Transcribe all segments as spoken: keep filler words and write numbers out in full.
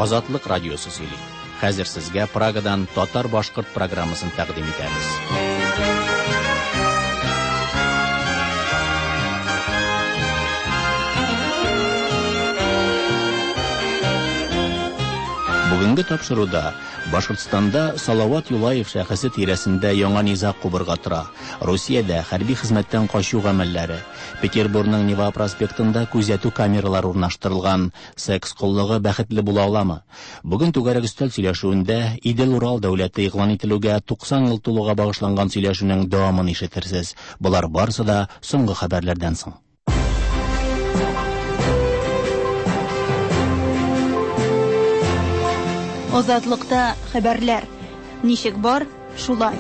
Азатлык радиосы сөйли. Хәзер сезгә Прагадан татар-башкорт программасын тәкъдим итәбез. Бүгенге тапшыруда Башкортстанда Салават Юлаев шәхесе тирәсендә яңа низаг кубырга тора. Русиядә хәрби хезмәттән качу гамәлләре, Петербургның Нева проспектында күзәтү камералары урнаштырылган, секс коллыгы бәхетле була аламы? Бүген түгәрәк өстәл сөйләшүендә Идел-Урал дәүләте игълан ителүгә туксан ел тулуга багышланган сөйләшүнең дәвамын ишетерсез. Болар барысы да соңгы хәбәрләрдән соң. Азатлыкта хәбәрләр. Ничек бар, шулай.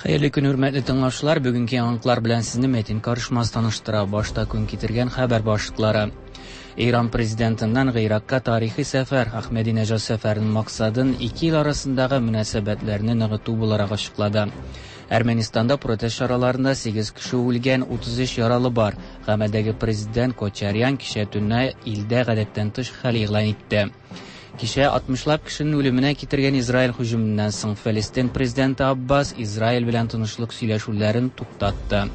Хәерле көн, хөрмәтле тыңлаучылар. Бүгенге яңалыклар белән сезне Метин Карышмаз таныштыра. Башта көн китергән хәбәр башлыклары. Иран президентыннан Гыйракка тарихи сәфәр. Ахмединежад сәфәренең максатын ике ил арасындагы мөнәсәбәтләрне ныгыту буларак ачыклады. Әрмәнистанда протест чараларында сигез кеше үлгән, утыз өч яралы бар. Гамәлдәге президент Кочарян кичә төнлә илдә гадәттән тыш хәл игълан итте. Кичә алтмышлап кешенең үлеменә китергән Израиль һөҗүменнән соң Фәлестин президенты Аббас Израиль белән тынычлык сөйләшүләрен туктатты.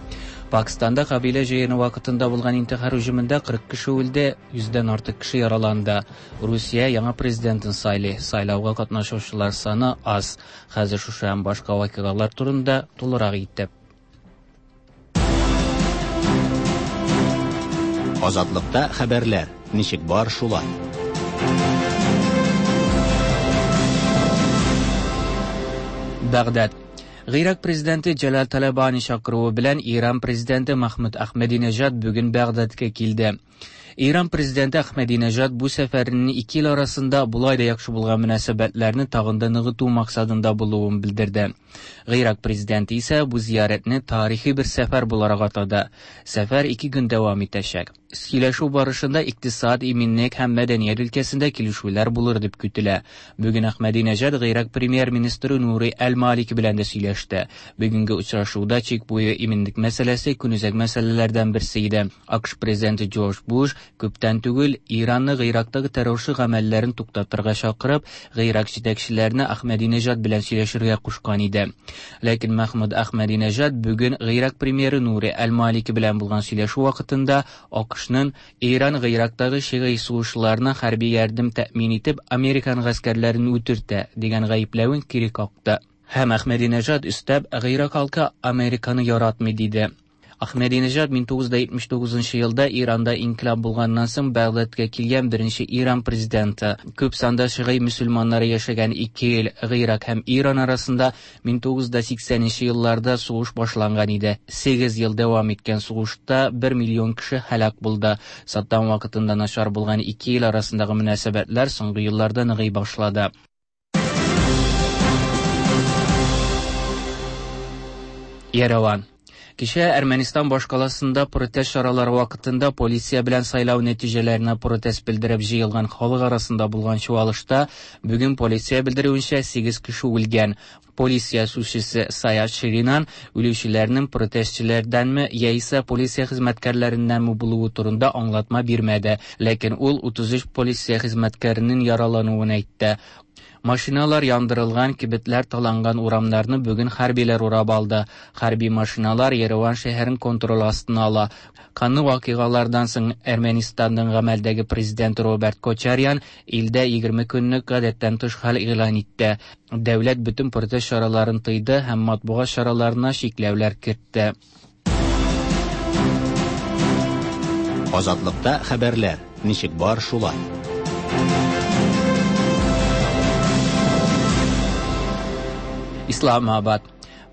Пакистанда кабилә җыены вакытында булган интихар һөҗүмендә кырык кеше үлде, йөздән артык кеше яраланды. Русия яңа президентын сайлый. Сайлауга катнашучылар саны аз. Хәзер шушы һәм башка вакыйгалар турында тулырак итеп. Азатлыкта хәбәрләр. Ничек бар, шулай. Багдад. Гыйрак президенты Җәлал Талабани чакыруы белән Иран президенты Махмуд Ахмединежад бүген Багдадка килде. Иран президенты Ахмединежад бу сәфәренең ике ил арасында болай да яхшы булган мөнәсәбәтләрне тагын да ныгыту максатында булуын белдерде. Гыйрак президенты исә бу зиярәтне тарихи бер сәфәр буларак атады. Сәфәр ике көн дәвам итәчәк. Сөйләшү барышында икътисад, иминлек һәм мәдәният өлкәсендә килешүләр булыр дип көтелә. Бүген Ахмединежад Гыйрак премьер-министры Нури Әл-Малики белән дә сөйләште. Бүгенге очрашуда чик буе иминлек мәсьәләсе көнүзәк мәсьәләләрдән берсе иде. АКШ президенты Джордж Буш күптән түгел Иранны Гыйрактагы террорчы гамәлләрен туктатырга чакырып, Гыйрак җитәкчеләренә Ахмединежад белән сөйләшергә кушкан иде. Ләкин Махмуд Ахмединежад бүген Гыйрак премьеры Нури Әл-Малики белән булган сөйләшү вакытында АКШның Иран Гыйрактагы шигый сугышларына хәрби ярдәм тәэмин итеп, Американ гаскәрләрен үтертә дигән гаепләвен кире какты. Һәм Ахмединежад өстәп, Гыйрак халкы Американы яратмый диде. Ахмединежад мең тугыз йөз җитмеш тугызынчы елда Иранда инкилаб булганнан соң Багдадка килгән беренче Иран президенты. Күп санда шигый мөселманнары яшәгән ике ил Гыйрак һәм Иран арасында мең тугыз йөз сиксәненче елларда сугыш башланган иде. Сигез ел дәвам иткән сугышта бер миллион кеше һәлак булды. Саттам вакытында начар булган ике ил арасындагы мөнәсәбәтләр соңгы елларда ныгый башлады. Ереван. Кичә Әрмәнистан башкаласында протест чаралары вакытында полиция белән сайлау нәтиҗәләренә протест белдереп җыелган халык арасында булган чуалышта бүген полиция белдерүенчә сигез кеше үлгән. Полиция сүзчесе Саят Ширинан үлүчеләрнең протестчыларданмы яисә полиция хезмәткәрләреннәнме булуы турында аңлатма бирмәде, ләкин ул утыз өч полиция хезмәткәренең яралануын әйтте. Машиналар яндырылган, кибетләр таланган урамнарны бүген хәрбиләр урап алды. Хәрби машиналар Ереван шәһәрен контроль астына ала. Канлы вакыйгалардан соң Әрмәнистанның гамәлдәге президенты Роберт Кочарян илдә егерме көнлек гадәттән тыш хәл игълан итте. Дәүләт бөтен протест чараларын тыйды һәм матбугат чараларына чикләүләр кертте. Азатлыкта хәбәрләр. Ничек бар, шулай. Исламабад.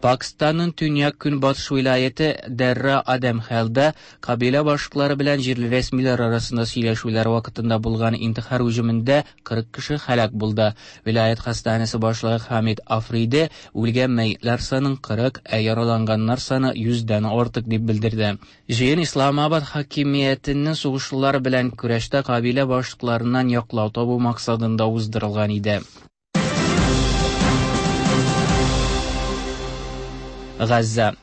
Пакистанның төньяк көнбатыш вилаяте Дәрра Адәмхәлдә кабилә башлыклары белән җирле рәсмиләр арасында сөйләшүләр вакытында булган интихар һөҗүмендә кырык кеше һәлак булды. Вилаят хастаханәсе башлыгы Хамид Африди үлгән мәетләр санын кырык, ә яраланганнар саны йөздән артык дип белдерде. Җыен Исламабад хакимиятенең сугышлар белән көрәштә кабилә башлыкларыннан яклау табу максатында уздырылган иде. Газза.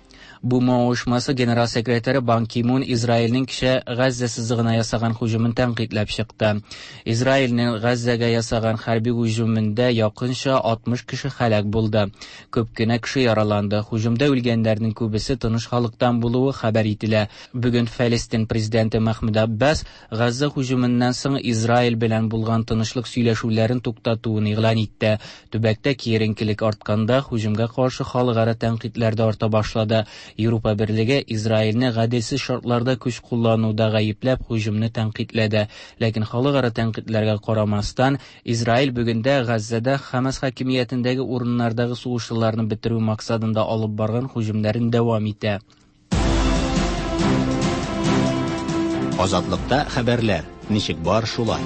Б М оешмасы генерал секретаре Бан Ки-мун Израилнең кичә Газзә сызыгына ясаган һөҗүмен тәнкыйтьләп чыкты. Израилнең Газзәгә ясаган хәрби һөҗүмендә якынча алтмыш кеше һәлак булды. Күп кенә кеше яраланды. Һөҗүмдә үлгәннәрнең күбесе тыныч халыктан булуы хәбәр ителә. Бүген Фәлестин президенты Мәхмүд Аббас Газзә һөҗүменнән соң Израиль белән булган тынычлык сөйләшүләрен туктатуын игълан итте. Төбәктә киеренкелек артканда һөҗүмгә каршы халыкара тәнкыйтьләр дә арта башлады. Европа Берлеге Израильне гаделсез шартларда көч куллануда гаепләп һөҗүмне тәнкыйтьләде. Ләкин халыкара тәнкыйтьләргә карамастан, Израиль бүген дә Газзәдә Хамас хакимиятендәге урыннардагы сугышчыларны бетерү максатында алып барган һөҗүмнәрен дәвам итә. Азатлыкта хәбәрләр ничек бар шулай.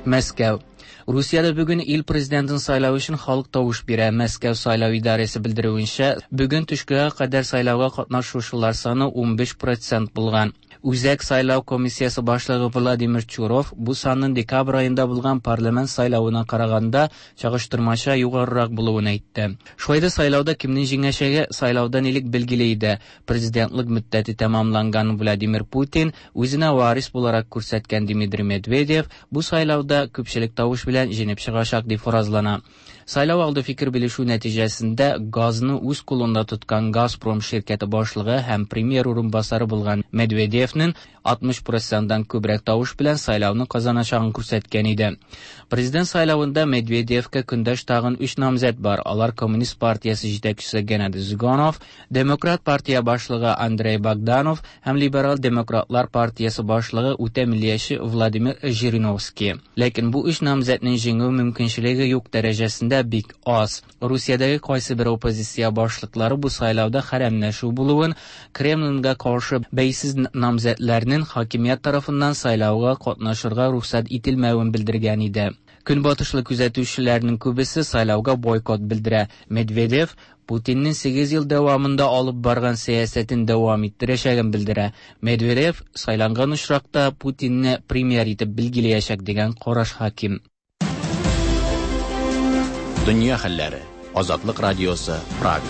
Мәскәү. Русиядә бүген ил президентын сайлау өчен халык тавыш бирә. Мәскәү сайлау идарәсе белдерүенчә, бүген төшкә кадәр сайлауга катнашучылар саны унбиш процент булган. Үзәк сайлау комиссиясе башлыгы Владимир Чуров бу санның декабрь аенда булган парламент сайлавына караганда чагыштырмача югарырак булуын әйтте. Шулай да сайлауда кемнең җиңәчәге сайлаудан элек билгеле иде. Президентлык мөддәте тәмамланган Владимир Путин үзенә варис буларак күрсәткән Дмитрий Медведев бу сайлауда күпчелек тавыш белән җиңеп чыгачак дип фаразлана. Сайлау алды фикер белешү нәтиҗәсендә газны үз кулында тоткан Газпром ширкәте башлыгы һәм премьер урынбасары булган Медведевнең алтмыш проценттан күбрәк тавыш белән сайлауны казаначагын күрсәткән иде. Президент сайлавында Медведевкә көндәш тагын өч намзәт бар. Алар Коммунист партиясе җитәкчесе Геннадий Зюганов, Демократ партия башлыгы Андрей Богданов һәм Либерал демократлар партиясе башлыгы үтә миллияче Владимир Жириновский. Ләкин бу өч намзәтнең җиңү мөмкинчелеге юк дәрәҗәсендә бик аз. Русиядәге кайсы бер оппозиция башлыклары бу сайлауда хәрәмләшү булуын, Кремльгә каршы бәйсез намзәтләрнең хакимият тарафыннан сайлауга катнашырга рөхсәт ителмәвен белдергән иде. Көнбатышлы күзәтүчеләрнең күбесе сайлауга бойкот белдерә. Медведев Путиннең сигез ел дәвамында алып барган сәясәтен дәвам иттерәчәген белдерә. Медведев сайланган очракта Путинне премьер итеп билгеләячәк дигән караш хаким. Дөнья хәлләре. Азатлык радиосы, Прага.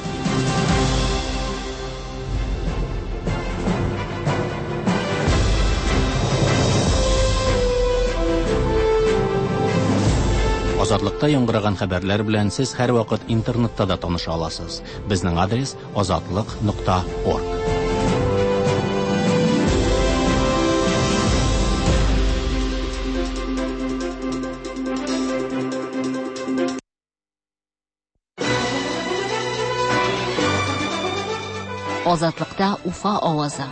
Азатлыкта яңгыраган хәбәрләр белән сез һәр вакыт интернетта да таныша аласыз. Безнең адрес азатлык нокта орг. Азатлыкта Уфа авазы.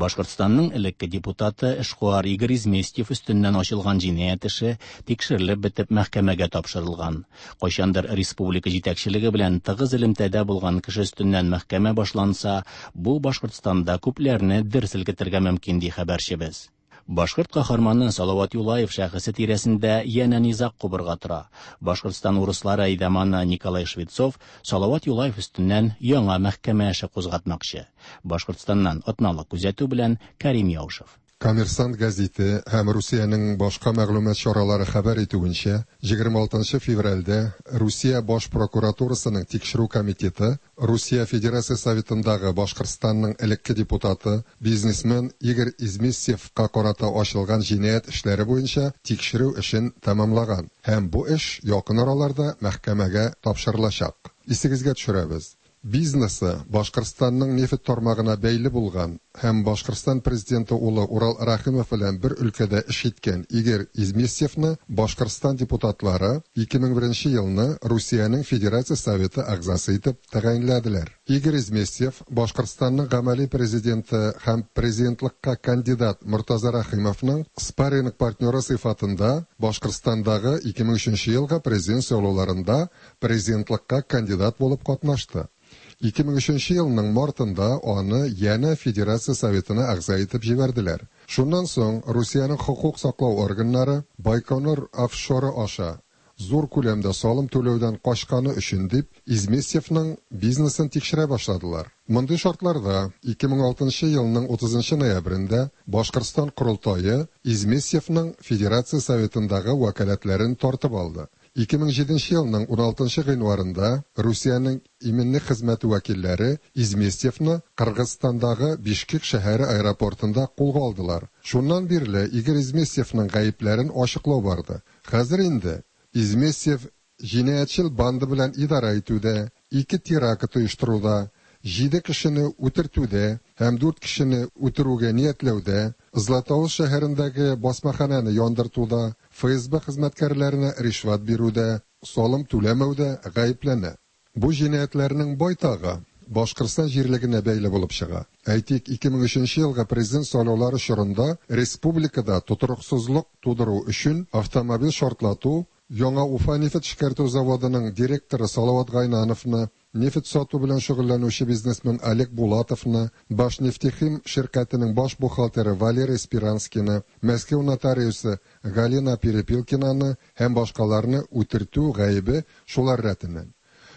Башкортстанның элекке депутаты эшкуар Игорь Изместьев өстеннән ачылган җинаять эше тикшерелеп бетеп мәхкәмәгә тапшырылган. Кайчандыр республика җитәкчелеге белән тыгыз элемтәдә булган кеше өстеннән мәхкәмә башланса, бу Башкортстанда күпләрне дер селкетергә мөмкин, ди хәбәрчебез. Башкорт каһарманы Салават Юлаев шәхесе тирәсендә янә низаг кубырга тора. Башкортстан урыслары әйдәманы Николай Швецов Салават Юлаев өстеннән яңа мәхкәмә эше кузгатмакчы. Башкортстаннан атналык күзәтү белән Карим Яушев. Коммерсант газеты һәм Русиянең башка мәгълүмат чаралары хәбәр итүенчә, егерме алтынчы февральдә Русия баш прокуратурасының тикшерү комитеты Русия Федерация Советындагы Башкортстанның элекке депутаты, бизнесмен Игорь Изместьевка карата ачылган җинаять эшләре буенча тикшерү эшен тәмамлаган һәм бу эш якын араларда мәхкәмәгә тапшырылачак. Исегезгә төшерәбез. Бизнесы Башкортстанның нефть тармагына бәйле булган һәм Башкортстан президенты улы Урал Рәхимов белән бер өлкәдә эш иткән Игорь Изместьевны Башкортстан депутатлары ике мең беренче елны Русиянең Федерация Советы әгъзасы итеп тәгаенләделәр. Игорь Изместьев Башкортстанның гамәли президенты һәм президентлыкка кандидат Мортаза Рәхимовның спарринг партнеры сыйфатында Башкортстандагы ике мең өченче елгы президент сайлауларында президентлыкка кандидат булып катнашты. Ике мең өченче елның мартында аны янә Федерация Советына әгъза итеп җибәрделәр. Шуннан соң Русиянең хокук саклау органнары Байконур офшоры аша зур күләмдә салым түләүдән качканы өчен дип Изместьевның бизнесын тикшерә башладылар. Мондый шартларда ике мең алтынчы елның утызынчы ноябрендә Башкортстан Корылтае Изместьевның Федерация Советындагы вәкаләтләрен тартып алды. Ике мең җиденче елның уналтынчы гыйнварында Русиянең иминлек хезмәте вәкилләре Изместьевны Кыргызстандагы Бишкек шәһәре аэропортында кулга алдылар. Шуннан бирле Игорь Изместьевның гаепләрен ачыклау барды. Хәзер инде Изместьев җинаятьчел банда белән идарә итүдә, ике теракт оештыруда, җиде кешене үтертүдә һәм дүрт кешене үтерүгә ниятләүдә, Златоуст шәһәрендәге басмахананы яндыртуда, Эф Эс Бэ хезмәткәрләренә ришвәт бирүдә, салым түләмәүдә гаепләнә. Бу җинаятьләрнең байтагы Башкортстан җирлегенә бәйле булып чыга. Әйтик, ике мең өченче елгы президент сайлаулары чорында республикада тотрыксызлык тудыру өчен автомобиль шартлату, Яңа Уфа нефть эшкәртү заводының директоры Салават Гайнановны, нефть сату белән шөгыльләнүче бизнесмен Олег Булатовны, Башнефтехим ширкәтенең баш бухгалтеры Валерий Спиранскийны, Мәскәү нотариусы Галина Перепелкинаны һәм башкаларны үтертү гаебе шулар рәтеннән.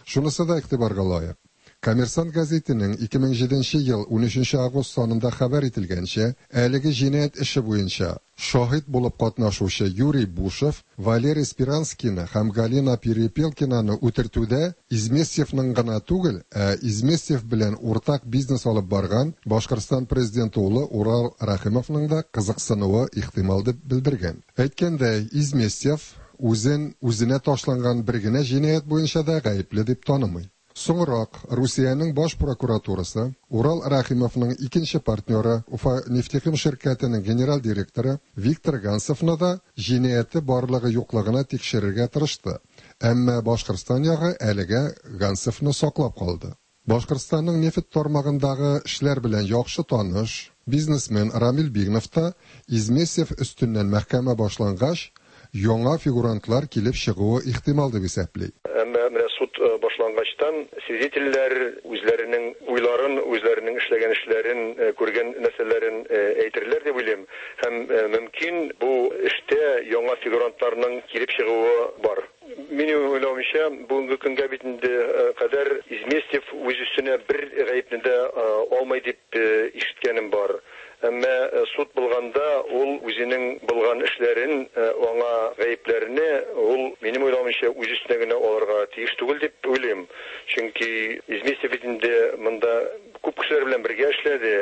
Шунысы да игътибарга лаек. Коммерсант газетының ике мең җиденче ел унөченче август санында хәбәр ителгәнчә, әлеге җинаять эше буенча шаһит булып катнашучы Юрий Бушев, Валерий Спиранскийны һәм Галина Перепелкинаны үтертүдә Изместьевның гына түгел, ә Изместьев белән уртак бизнес алып барган Башкортстан президенты улы Урал Рәхимовның да кызыксынуы ихтимал дип белдергән. Әйткәндәй, Изместьев үзен үзенә ташланган бер генә җинаять буенча да гаепле дип танымый. Соңрак Русиянең баш прокуратурасы Урал Рәхимовның икенче партнеры Уфа нефтехим ширкәтенең генераль директоры Виктор Гансовны да җинаяте барлыгы юклыгына тикшерергә тырышты. Әмма Башкортстан ягы әлегә Гансовны саклап калды. Башкортстанның нефть тармагындагы эшләр белән яхшы таныш бизнесмен Рамил Бигнов та Изместьев өстеннән мәхкәмә башлангач, яңа фигурантлар килеп чыгуы ихтимал дип исәпли. Әмма менә суд башлангачтан свидетельләр үзләренең уйларын, үзләренең эшләгән эшләрен, күргән нәрсәләрен әйтерләр дип уйлыйм. Һәм мөмкин бу эштә яңа фигурантларның килеп чыгуы бар. Минем уйлавымча, бүгенге көнгә бит инде кадәр Изместьев үз өстенә бер гаепне дә алмай дип ишеткәнем бар. Әмма суд булганда ул үзенең булган эшләрен, аңа гаепләрне ул минем уйлавымча үз өстенә генә алырга тиеш түгел дип уйлыйм. Чөнки Изместьев бит инде монда күп кешеләр белән бергә эшләде,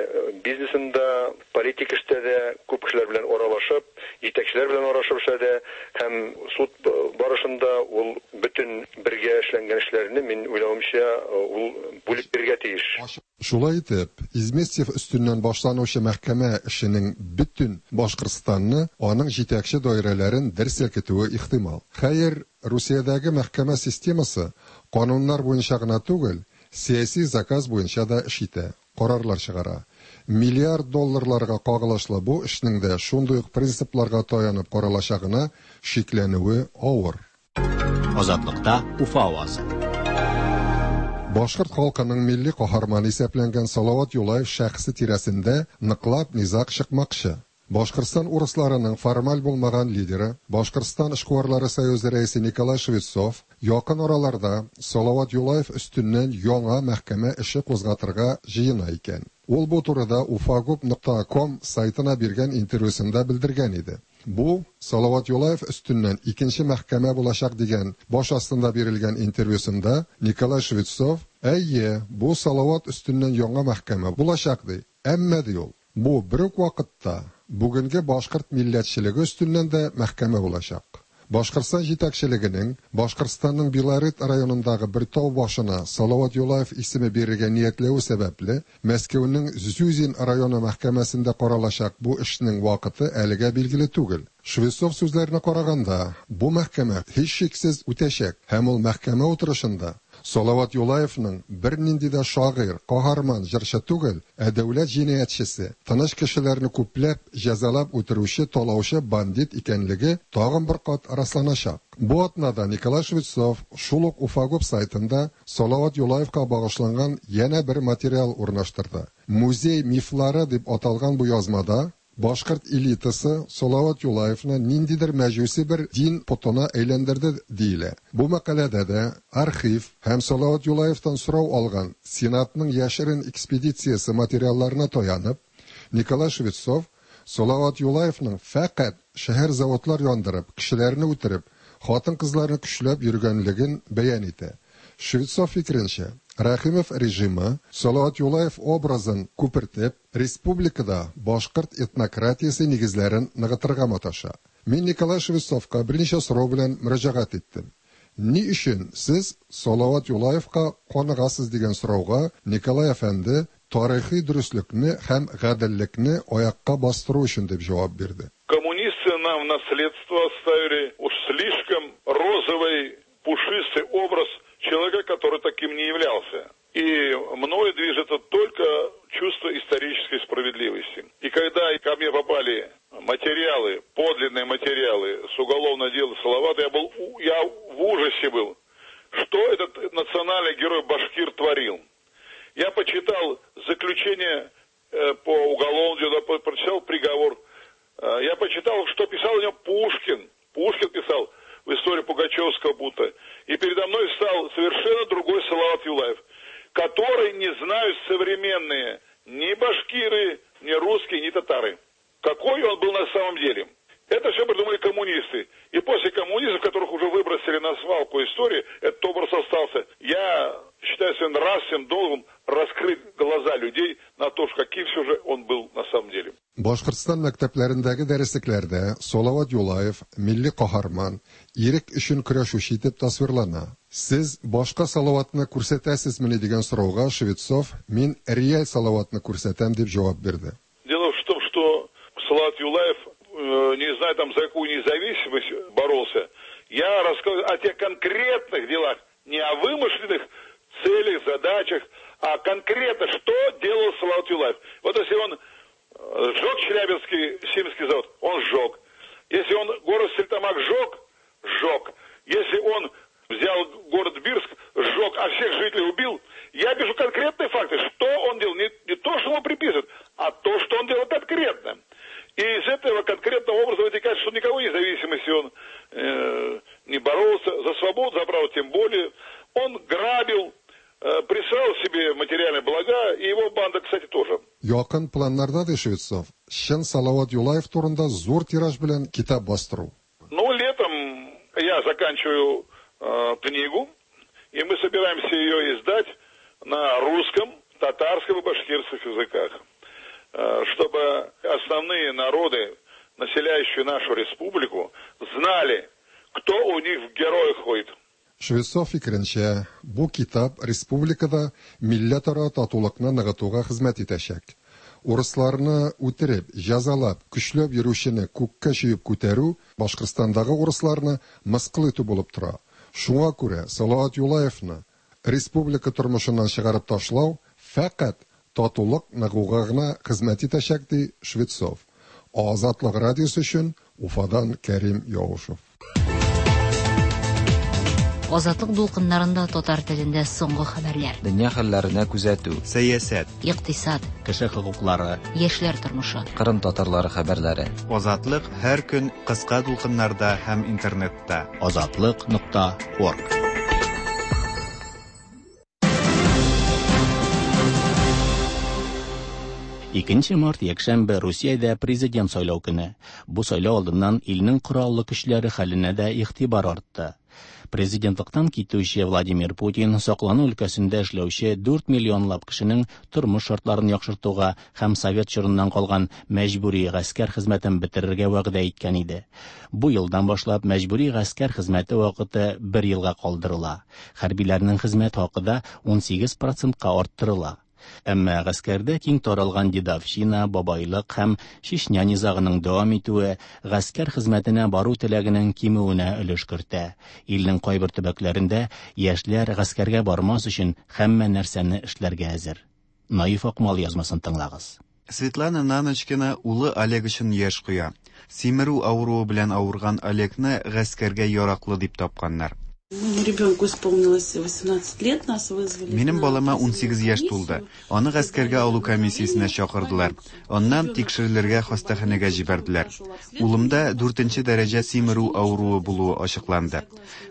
бизнесында, политик эштә дә күп кешеләр белән аралашып, җитәкчеләр белән аралашып эшләде һәм суд барышында ул бөтен бергә эшләнгән эшләрне мин уйлавымча ул бүлеп бирергә тиеш. Шулай итеп, Изместьев өстеннән башланучы мәхкәмә эшенең бөтен Башкортстанны, аның җитәкче даирәләрен дер селкетүе ихтимал. Хәер, Русиядәге мәхкәмә системасы кануннар буенча гына түгел, сәяси заказ буенча да эш итә, карарлар чыгара. Миллиард долларларга кагылышлы бу эшнең дә шундый ук принципларга таянып каралачагына шикләнүе авыр. Азатлыкта Уфа авазы. Башкорт халкының милли каһарманы исәпләнгән Салават Юлаев шәхесе тирәсендә ныклап низаг чыкмакчы. Башкортстан урысларының формаль булмаган лидеры, Башкортстан эшкуарлары союзы рәисе Николай Швецов якын араларда Салават Юлаев өстеннән яңа мәхкәмә эше кузгатырга җыена икән. Ул бу турыда уфагуб нокта ком сайтына биргән интервьюсында белдергән иде. Бу Салават Юлаев өстеннән икенче мәхкәмә булачак дигән баш астында бирелгән интервьюсында Николай Швецов, әйе, бу Салават өстеннән яңа мәхкәмә булачак ди. Әмма ди ул, бу бер үк вакытта бүгенге башкорт милләтчелеге өстеннән дә мәхкәмә булачак. Башкортстан җитәкчелегенең Башкортстанның Белорет районындагы бер тау башына Салават Юлаев исеме бирергә ниятләве сәбәпле, Мәскәүнең Зюзин районы мәхкәмәсендә каралачак бу эшнең вакыты әлегә билгеле түгел. Швецов сүзләренә караганда, бу мәхкәмә һичшиксез үтәчәк һәм ул мәхкәмә утырышында Салават Юлаевның бер нинди дә шагыйрь, каһарман, җырчы түгел, ә дәүләт җинаятьчесе, тыныч кешеләрне күпләп җәзалап үтерүче, талаучы бандит икәнлеге тагын бер кат расланачак. Бу атнада Николай Швецов шул ук Уфагуб сайтында Салават Юлаевка багышланган янә бер материал урнаштырды. Музей мифлары дип аталган бу язмада Башкорт элитасы Салават Юлаевны ниндидер мәҗүси бер дин потына әйләндерде диелә. Бу мәкаләдә дә архив һәм Салават Юлаевтан сорау алган Сенатның яшерен экспедициясе материалларына таянып, Николай Швецов Салават Юлаевның фәкать шәһәр заводлар яндырып, кешеләрне үтереп, хатын-кызларны көчләп йөргәнлеген бәян итә. Швецов фикеренчә, Рәхимов режимы Салават Юлаев образын күпертеп, республикада башкорт этнократиясе нигезләрен ныгытырга маташа. Мин Николай Швецовка берничә сорау белән мөрәҗәгать иттем. Ни өчен сез Салават Юлаевка каныгасыз дигән сорауга Николай әфәнде тарихи дөреслекне һәм гаделлекне аякка бастыру өчен дип җавап бирде. Коммунисты нам в наследство оставили уж слишком розовый, пушистый образ человека, который таким не являлся. И мною движет только чувство исторической справедливости. И когда ко мне попали материалы, подлинные материалы с уголовного дела Салавата, я был, я в ужасе был, что этот национальный герой башкир творил. Я почитал заключение по уголовному делу, прочитал приговор. Я почитал, что писал о нем Пушкин. Пушкин писал в истории Пугачевского бунта. И передо мной стал совершенно другой Салават Юлаев, который не знают современные ни башкиры, ни русские, ни татары. Какой он был на самом деле. Это все придумали коммунисты. И после коммунистов, которых уже выбросили на свалку истории, этот образ остался. Я считаю своим нравственным долгом раскрыть глаза людей на то, каким все же он был на самом деле. Башкортстан мәктәпләрендәге дәреслекләрдә Салават Юлаев милли каһарман, ирек өчен көрәшүче итеп тасвирлана. Сез башка Салаватны күрсәтәсезмени дигән сорауга Швецов мин реаль Салаватны күрсәтәм дип җавап бирде. Дело в том, что Салават Юлаев, не знаю там за какую независимость боролся. Я рассказываю о тех конкретных делах, не о вымышленных целях, задачах, а конкретно, что делал Салават Юлаев. Вот если он сжег Челябинский химический завод, он сжег. Если он город Стерлитамак сжег, сжег. Если он взял город Бирск, сжег, а всех жителей убил. Я пишу конкретные факты, что он делал. Не, не то, что ему приписывают, а то, что он делал конкретно. И из этого конкретного образа вытекает, что никакой независимости он э, не боролся, за свободу, за право тем более. Он грабил, э, присваивал себе материальные блага, и его банда, кстати, тоже. Якын планнарда, ди Швецов, чын Салават Юлаев турында зур тираж белән китап бастыру. Ну, летом я заканчиваю э, книгу, и мы собираемся ее издать на русском, татарском и башкирских языках, чтобы основные народы, населяющие нашу республику, знали, кто у них в героях ходит. Швецов фикеренчә, бу китап республикада милләтара татулыкны ныгытуга хезмәт итәчәк. Урысларны үтереп, җәзалап, көчләп йөрүчене күккә чөеп күтәрү Башкортстандагы урысларны мыскыл итү булып тора. Шуңа күрә Салават Юлаевны республика тормышыннан чыгарып ташлау фәкать татулык ныгуга гына хезмәт итәчәк, ди Швецов. Азатлык радиосы өчен Уфадан Кәрим Яушев. Азатлык дулкыннарында татар телендә соңгы хәбәрләр. Дөнья хәлләренә күзәтү, сәясәт, икътисад, кеше хокуклары, яшьләр тормышы, Кырым татарлары хәбәрләре. Азатлык һәр көн кыска дулкыннарда һәм интернетта. Азатлык нокта орг. Икенче март якшәмбе Русиядә президент сайлау көне. Бу сайлау алдыннан илнең кораллы көчләре хәленә дә игътибар артты. Президентлыктан китүче Владимир Путин саклану өлкәсендә эшләүче дүрт миллионлап кешенең тормыш шартларын яхшыртуга һәм совет чорыннан калган мәҗбүри гаскәр хезмәтен бетерергә вәгъдә иткән иде. Бу елдан башлап мәҗбүри гаскәр хезмәте вакыты бер елга калдырыла. Хәрбиләрнең хезмәт хакы да ун сигез процентка арттырыла. Әмма гаскәрдә киң таралган дедовщина, бабайлык һәм Чечня низагының дәвам итүе гаскәр хезмәтенә бару теләгенең кимүенә өлеш кертә. Илнең кайбер төбәкләрендә яшьләр гаскәргә бармас өчен һәммә нәрсәне эшләргә әзер. Наиф Акмал язмасын тыңлагыз. Светлана Наночкина улы Олег өчен яшь куя. Симерү авыруы белән авырган Олегны гаскәргә яраклы дип тапканнар. Моему ребенку исполнилось восемнадцать лет, нас вызвали. Минем балама унсигез яшь тулды. Аны гаскәргә алу комиссиясенә чакырдылар. Аннан тикшерелергә хастаханәгә җибәрделәр. Улымда дүртенче дәрәҗә симерү авыруы булуы ачыкланды.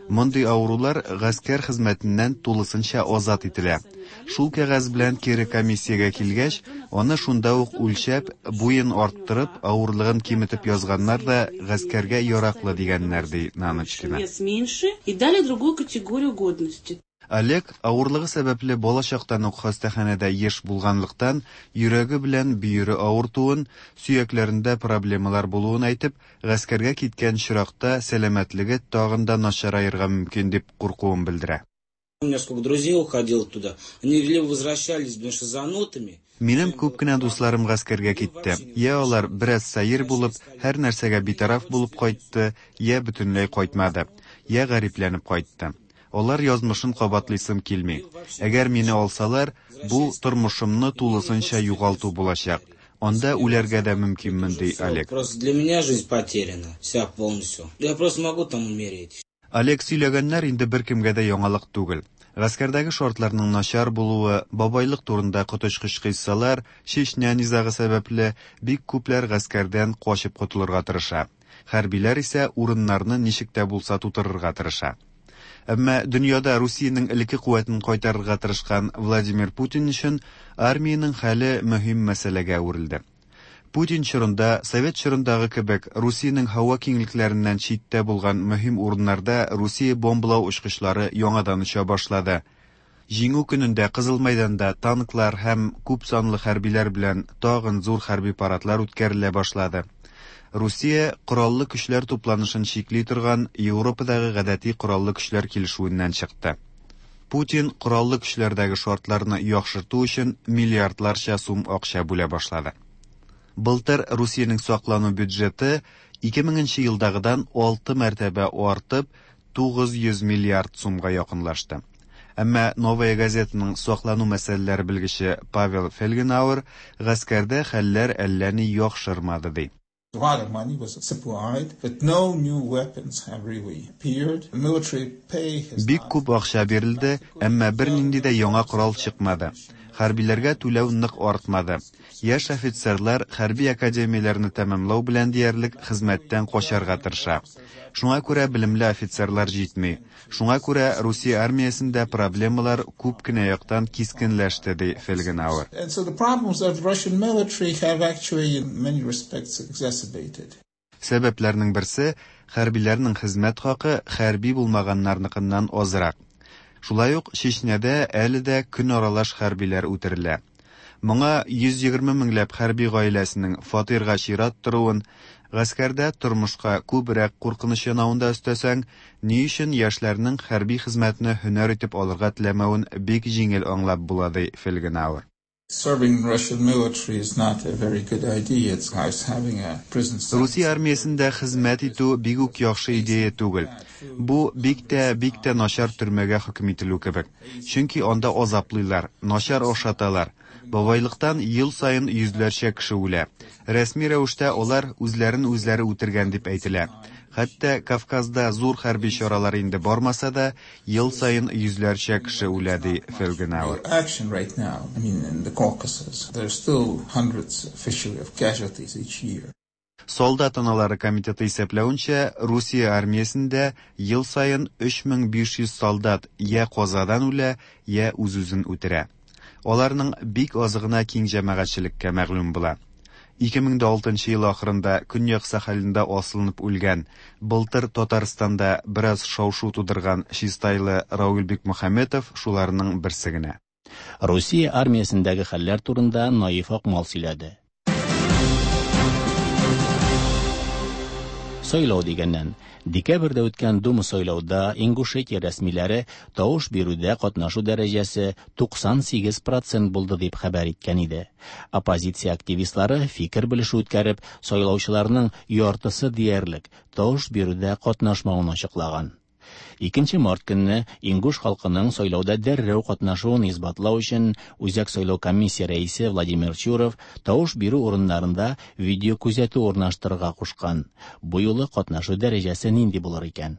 Мондый авырулар гаскәр хезмәтеннән тулысынча азат ителә. Шул кәгазь белән кире комиссиягә килгәч, аны шунда ук үлчәп, буен арттырып, авырлыгын киметеп язганнар да гаскәргә яраклы дигәннәр, ди Наночкина. Вес меньше и дали другую категорию годности. Олег авырлыгы сәбәпле балачактан ук хастаханәдә еш булганлыктан, йөрәге белән бөере авыртуын, сөякләрендә проблемалар булуын әйтеп, гаскәргә киткән чиракта сәламәтлеге тагын да начараерга мөмкин дип куркуын белдерә. У меня сколько друзей уходило туда, они либо возвращались, блин, шизанутыми. Минем күп кенә дусларым гаскәргә китте. Я алар бераз сәер булып, һәр нәрсәгә битараф булып кайтты, я бөтенләй кайтмады, я гарипләнеп кайтты. Алар язмышын кабатлыйсым килми. Әгәр мине алсалар, бу тормышымны тулысынча югалту булачак. Анда үләргә дә мөмкинмен, ди Олег. Просто для меня жизнь потеряна, вся полностью. Я просто могу там умереть. Олег сөйләгәннәр инде беркемгә дә яңалык түгел. Гаскәрдәге шартларның начар булуы, бабайлык турында коточкыч кыйссалар, Чечня низагы сәбәпле бик күпләр гаскәрдән качып котылырга тырыша. Хәрбиләр исә урыннарны ничек тә булса тутырырга тырыша. Әмма дөньяда Русиянең элекке куәтен кайтарырга тырышкан Владимир Путин өчен армиянең хәле мөһим мәсьәләгә әверелде. Путин чорында, Совет чорындагы кебек, Русиянең һава киңлекләреннән читтә булган мөһим урыннарда Русия бомбалау очкычлары яңадан оча башлады. Җиңү көнендә Кызыл мәйданда танклар һәм күп санлы хәрбиләр белән тагын зур хәрби парадлар үткәрелә башлады. Русия кораллы көчләр тупланышын чикли торган Европадагы гадәти кораллы көчләр килешүеннән чыкты. Путин кораллы көчләрдәге шартларны яхшырту өчен миллиардларча сум акча бүлә башлады. Былтыр Русиянең саклану бюджеты ике меңенче елдагыдан алты мәртәбә артып, тугыз йөз миллиард сумга якынлашты. Әмма Новая газетаның саклану мәсьәләләре белгече Павел Фельгенауэр гаскәрдә хәлләр әллә ни яхшырмады ди. A lot of money was supplied, but no new weapons have really appeared. Military pay has Бик күп акча бирелде, әмма бернинди дә яңа корал чыкмады. Хәрбиләргә түләү нык артмады. Яшь офицерлар хәрби академияләрне тәмамлау белән диярлек хезмәттән качарга тырыша. Шуңа күрә белемле офицерлар җитми. Шуңа күрә Русия армиясендә проблемалар күп кенә яктан кискенләште, ди Фельгенауэр. And so the problems of the Russian military have actually in many respects exacerbated. Сәбәпләрнең берсе хәрбиләрнең хезмәт хакы хәрби булмаганнарныкыннан азрак. Шулай ук Чечняда әле дә көн аралаш хәрбиләр үтерелә. Моңа йөз егерме меңләп хәрби гаиләсенең фатирга чират торуын, гаскәрдә тормышка күбрәк куркыныч янавын да өстәсәң, ни өчен яшьләрнең хәрби хезмәтне һөнәр итеп алырга теләмәвен бик җиңел аңлап була, ди Фельгенауэр. Serving Russian military is not a very good idea. It's like having a prison sentence. Русия армиясендә хезмәт итү бик үк яхшы идея түгел. Бу бик тә, бик тә начар төрмәгә хөкем ителү кебек. Чөнки анда азаплыйлар, начар ашаталар. Бабайлыктан ел саен йөзләрчә кеше үлә. Рәсми рәвештә алар үзләрен үзләре үтергән дип әйтелә. Хәтта Кавказда зур хәрби чаралар инде бармаса да, ел саен йөзләрчә кеше үлә, ди Фельгенауэр. Action right now, I mean, in the Caucasus, there's still hundreds officially of casualties each year. Солдат аналары комитеты исәпләвенчә, Русия армиясендә ел саен өч мең биш йөз солдат я казадан үлә, я үз-үзен үтерә. Аларның бик азы гына киң җәмәгатьчелеккә мәгълүм була. Ике мең дә алтынчы ел ахырында Көньяк Сахалинда асылынып үлгән, былтыр Татарстанда бераз шау-шу тудырган чистайлы Рауль Бикмөхәммәтов шуларның берсе генә. Русия армиясендәге хәлләр турында Наиф Акмал сөйләде. Сайлау дигәннән, декабрьдә үткән Дума сайлауда Ингушетия рәсмиләре тавыш бирүдә катнашу дәрәҗәсе туксан сигез процент булды дип хәбәр иткән иде. Оппозиция активистлары фикер белешү үткәреп, сайлаучыларның яртысы диярлек тавыш бирүдә катнашмавын ачыклаган. Икенче март көнне Ингуш халкының сайлауда дәррәү катнашуын исбатлау өчен Үзәк сайлау комиссия рәисе Владимир Чуров тавыш бирү урыннарында видео күзәтү урнаштырырга кушкан. Бу юлы катнашу дәрәҗәсе нинди булыр икән?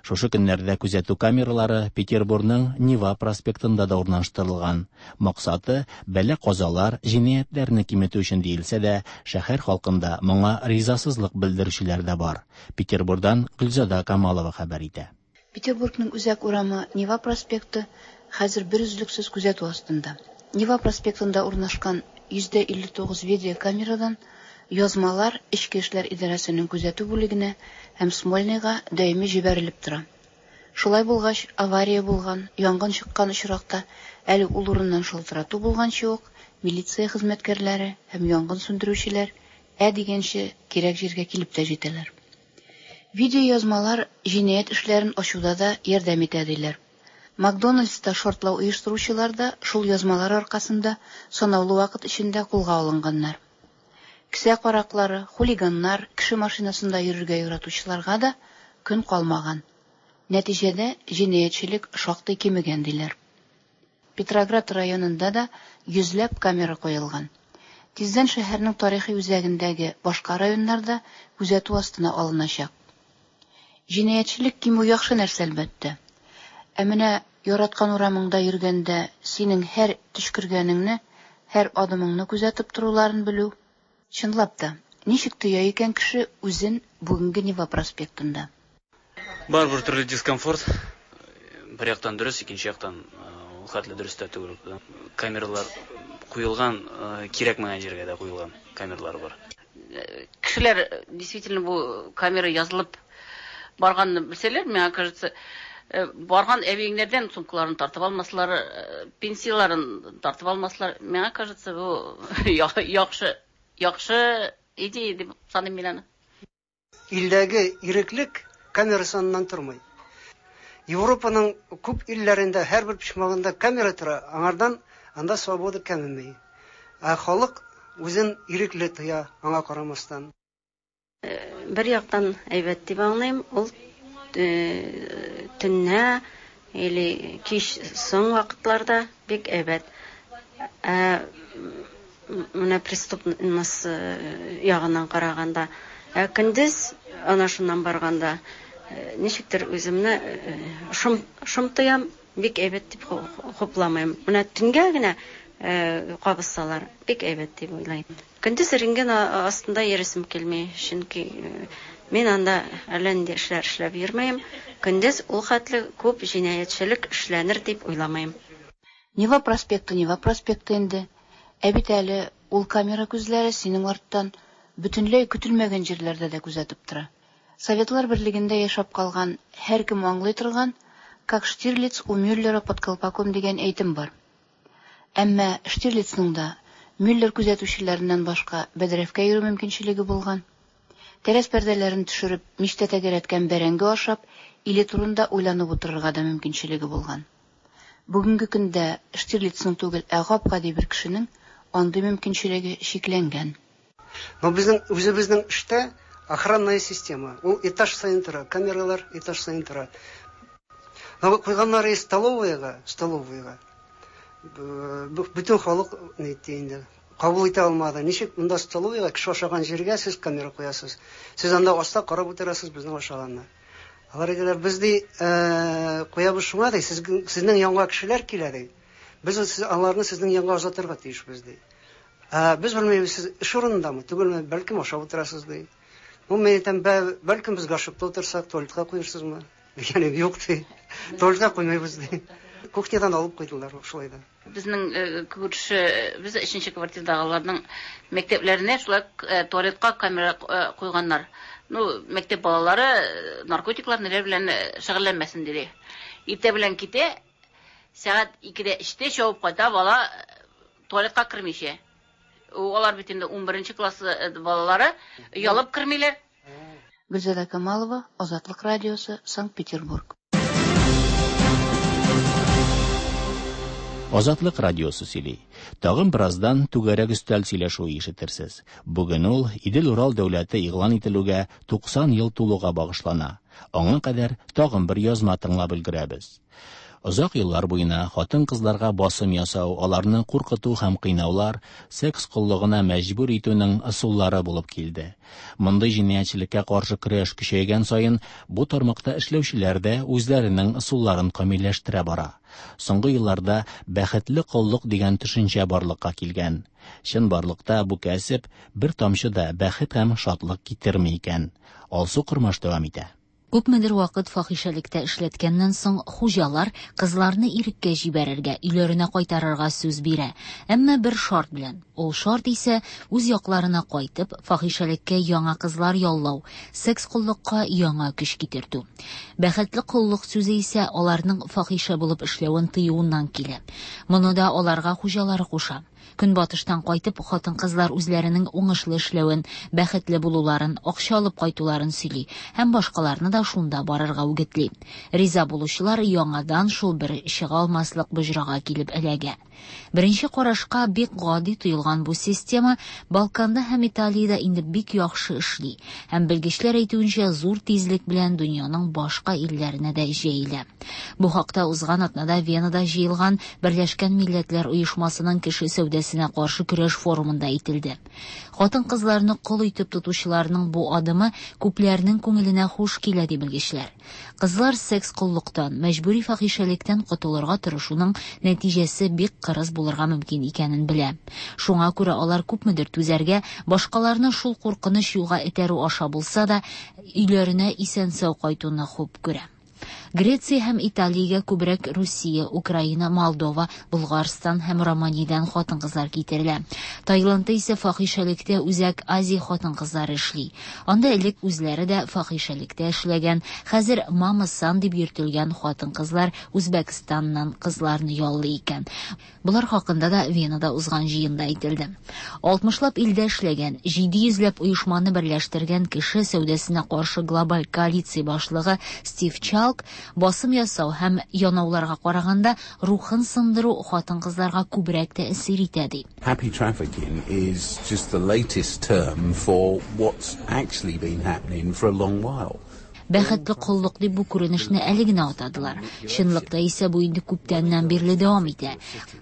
Шушы көннәрдә күзәтү камералары Петербургның Нева проспектында да урнаштырылган. Максаты бәла-казалар, җинаятьләрне киметү өчен диелсә дә, шәһәр халкында моңа ризасызлык белдерүчеләр дә бар. Петербургдан Гөлзада Камалова хәбәр итә. Петербургның үзәк урамы Нева проспекты хәзер берөзлексез күзәтү астында. Нева проспектында урнашкан йөздә илле тугыз видеокамерадан язмалар Эчке эшләр идарәсенең күзәтү бүлегенә һәм Смольныйга даими җибәрелеп тора. Шулай булгач, авария булган, янгын чыккан очракта әле ул урыннан шалтырату булганчы ук милиция хезмәткәрләре һәм янгын сүндерүчеләр ә дигәнче кирәк җиргә килеп тә җитәләр. Видеоязмалар җинаять эшләрен ачуда да ярдәм итә диләр. Макдональдста шартлау оештыручылар да шул язмалар аркасында санаулы вакыт эчендә кулга алынганнар. Кесә караклары, хулиганнар, кеше машинасында йөрергә яратучыларга да көн калмаган. Нәтиҗәдә җинаятьчелек шактый кимегән диләр. Петроград районында да йөзләп камера куелган. Тиздән шәһәрнең тарихи үзәгендәге башка районнарда күзәтү астына алыначак. Җинаятьчелек кимү яхшы нәрсә әлбәттә. Ә менә яраткан урамыңда йөргәндә синең һәр төчкергәнеңне, һәр адымыңны күзәтеп торуларын белү. Чынлап та, ничек тоя икән кеше үзен бүгенге Нева проспектында? Бар бер төрле дискомфорт. Бер яктан дөрес, икенче яктан ул хәтле дөрес тә түгел. Камералар куелган, кирәкмәгән җиргә дә куелган камералар бар. Кешеләр действительно бу камера язылып барганны белсәләр, миңа кажется, барган әбиеңнәрдән сумкаларын тартып алмаслар, пенсияларын тартып алмаслар. Миңа кажется, бу яхшы, яхшы идея дип саныйм мин аны. Илдәге иреклек камера саныннан тормый. Европаның күп илләрендә һәрбер почмагында камера тора, аңардан анда свобода кәмеми. Ә халык үзен ирекле тоя, аңа карамастан. Бер яктан әйбәт дип аңлыйм, ул төннә или кич соң вакытларда бик әйбәт. Ә менә преступность ягыннан караганда, ә көндез ана шуннан барганда ничектер үземне шом шом тоям, бик әйбәт дип хупламыйм. Менә төнгә генә кабызсалар, бик әйбәт дип уйлыйм. Көндез рентген астында йөресем килми, чөнки мин анда әллә нинди эшләр эшләп йөрмәйм. Көндез ул хәтле күп җинаятьчелек эшләнер дип уйламыйм. Нева проспекты, Нева проспекты инде. Ә бит әле ул камера күзләре синең арттан бөтенләй көтелмәгән җирләрдә дә күзәтеп тора. Советлар берлегендә яшәп калган һәркем аңлый торган «Как Штирлиц у Мюллера под колпаком» дигән әйтем бар. Әмма Штирлицның да Мюллер күзәтүчеләреннән башка бәдрәфкә йөрү мөмкинчелеге булган. Тәрәз пәрдәләрен төшереп, мичтә тәгәрәткән бәрәңге ашап, иле турында уйланып утырырга да мөмкинчелеге булган. Бүгенге көндә Штирлицның түгел, ә гап-гади бер кешенең андый мөмкинчелеге чикләнгән. Но безнең үзебезнең эштә охранная система. Ул этаж саен тора, камералар этаж саен тора. Но куйганнары столовыйга, столовыйга. Бөтен халык ни инде кабул итә алмады. Ничек монда столовыйга кеше ашаган җиргә сез камера куясыз? Сез анда аста карап утырасыз безнең ашаганны. Алар әйтәләр, без ди куябыз шуңа ди, сезнең янга кешеләр килә ди. Без аларны сезнең янга озатырга тиешбез ди. Ә без белмибез, сез эш урынындамы, түгелме, бәлкем ашап утырасыз ди. Ну, мин әйтәм, бәлкем без гашыпта утырсак, туалетка куерсызмы? Дигән юк ди. Туалетка куймыйбыз ди. Кухнядан алып куйдылар шулай да. Безнең күрше, без өченче квартирадагыларның мәктәпләренә шулай туалетка камера куйганнар. Ну, мәктәп балалары наркотиклар ниләр белән шөгыльләнмәсен диде. Иртә белән китә, сәгать икедә эштә чабып кайта, бала туалетка кермичә. Алар бит инде унберенче класс балалары оялып кермиләр. Гөлзада Камалова, Азатлык радиосы, Санкт-Петербург. Азатлык радиосы сөйли. Тагын бераздан түгәрәк өстәл сөйләшүе ишетерсез. Бүген ул Идел-Урал дәүләте игълан ителүгә туксан ел тулуга багышлана. Аңа кадәр тагын бер язма тыңлап өлгерәбез. Озак еллар буена хатын-кызларга басым ясау, аларны куркыту һәм кыйнаулар секс коллыгына мәҗбүр итүнең ысуллары булып килде. Мондый җинаятьчелеккә каршы көрәш көчәйгән саен бу тармакта эшләүчеләр дә үзләренең ысулларын камилләштерә бара. Соңгы елларда бәхетле коллык дигән төшенчә барлыкка килгән. Чынбарлыкта бу кәсеп бер тамчы да бәхет һәм шатлык китерми икән. Алсу Кормаш дәвам итә. Күпмедер вакыт фахишәлектә эшләткәннән соң хуҗалар кызларны иреккә җибәрергә, өйләренә кайтарырга сүз бирә. Әмма бер шарт белән. Ул шарт исә үз якларына кайтып, фахишәлеккә яңа кызлар яллау, секс коллыкка яңа көч китертү. Бәхетле коллык сүзе исә аларның фахишә булып эшләвен тыюыннан килә. Моны да аларга хуҗалары куша. Көнбатыштан кайтып, хатын-кызлар үзләренең уңышлы эшләвен, бәхетле булуларын, акча алып кайтуларын сөйли һәм башкаларны да шунда барырга үгетли. Риза булучылар яңадан шул бер чыга алмаслык боҗрага килеп эләгә. Беренче карашка бик гади тоелган бу система Балканда һәм Италиядә инде бик яхшы эшли һәм белгечләр әйтүенчә зур тизлек белән дөньяның башка илләренә дә җәелә. Бу хакта узган атнада Венада җыелган Берләшкән Милләтләр Оешмасының кеше сәүдәсенә каршы көрәш форумында әйтелде. Хатын-кызларны кол итеп тотучыларның бу адымы күпләрнең күңеленә хуш килә, ди белгечләр. Кызлар секс коллыктан, мәҗбүри фахишәлектән котылырга тырышуның нәтиҗәсе бик кырыс булырга мөмкин икәнен белә. Шуңа күрә алар күпмедер түзәргә, башкаларны шул куркыныч юлга этәрү аша булса да, өйләренә исән-сау кайтуны хуп күрә. Греция һәм Италиягә күбрәк Русия, Украина, Молдова, Болгарстан һәм Романиядән хатын-кызлар китерелә. Таиландта исә фахишәлектә Үзәк Азия хатын-кызлары эшли. Анда элек үзләре дә фахишәлектә эшләгән, хәзер мама-сан дип йөртелгән хатын-кызлар Үзбәкстаннан кызларны яллый икән. Болар хакында да Венада узган җыенда әйтелде. Алтмышлап илдә эшләгән, җиде йөзләп оешманы берләштергән кеше сәүдәсенә каршы глобаль коалиция башлыгы Стив Чалк басым ясау һәм янауларга караганда рухын сындыру хатын-кызларга күбрәк тәэсир итә, ди. Happy trafficking is just the latest term for what's actually been happening for a long while. Бәхетле коллык дип бу күренешне әле генә атадылар. Чынлыкта исә бу инде күптәннән бирле дәвам итә.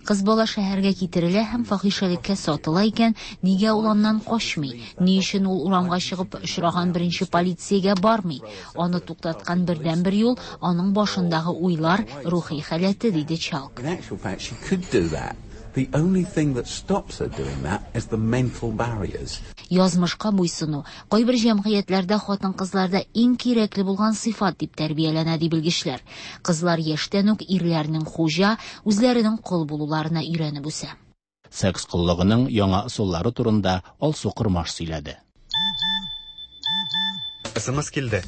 Кыз бала шәһәргә китерелә һәм фахишәлеккә сатыла икән, нигә ул аннан качмый? Ни өчен ул урамга чыгып очраган беренче полициягә бармый? Аны туктаткан бердәнбер юл аның башындагы уйлар, рухи халәте, диде Чалк. In actual fact, she could do that. The only thing that stops her doing that is the mental barriers. Язмышка буйсыну кайбер җәмгыятьләрдә хатын-кызларда иң кирәкле булган сыйфат дип тәрбияләнә, ди белгечләр. Кызлар яшьтән үк ирләрнең хуҗа, үзләренең кол булуларына өйрәнеп үсә. Секс коллыгының яңа ысуллары турында Алсу Кормаш сөйләде. СМС килде.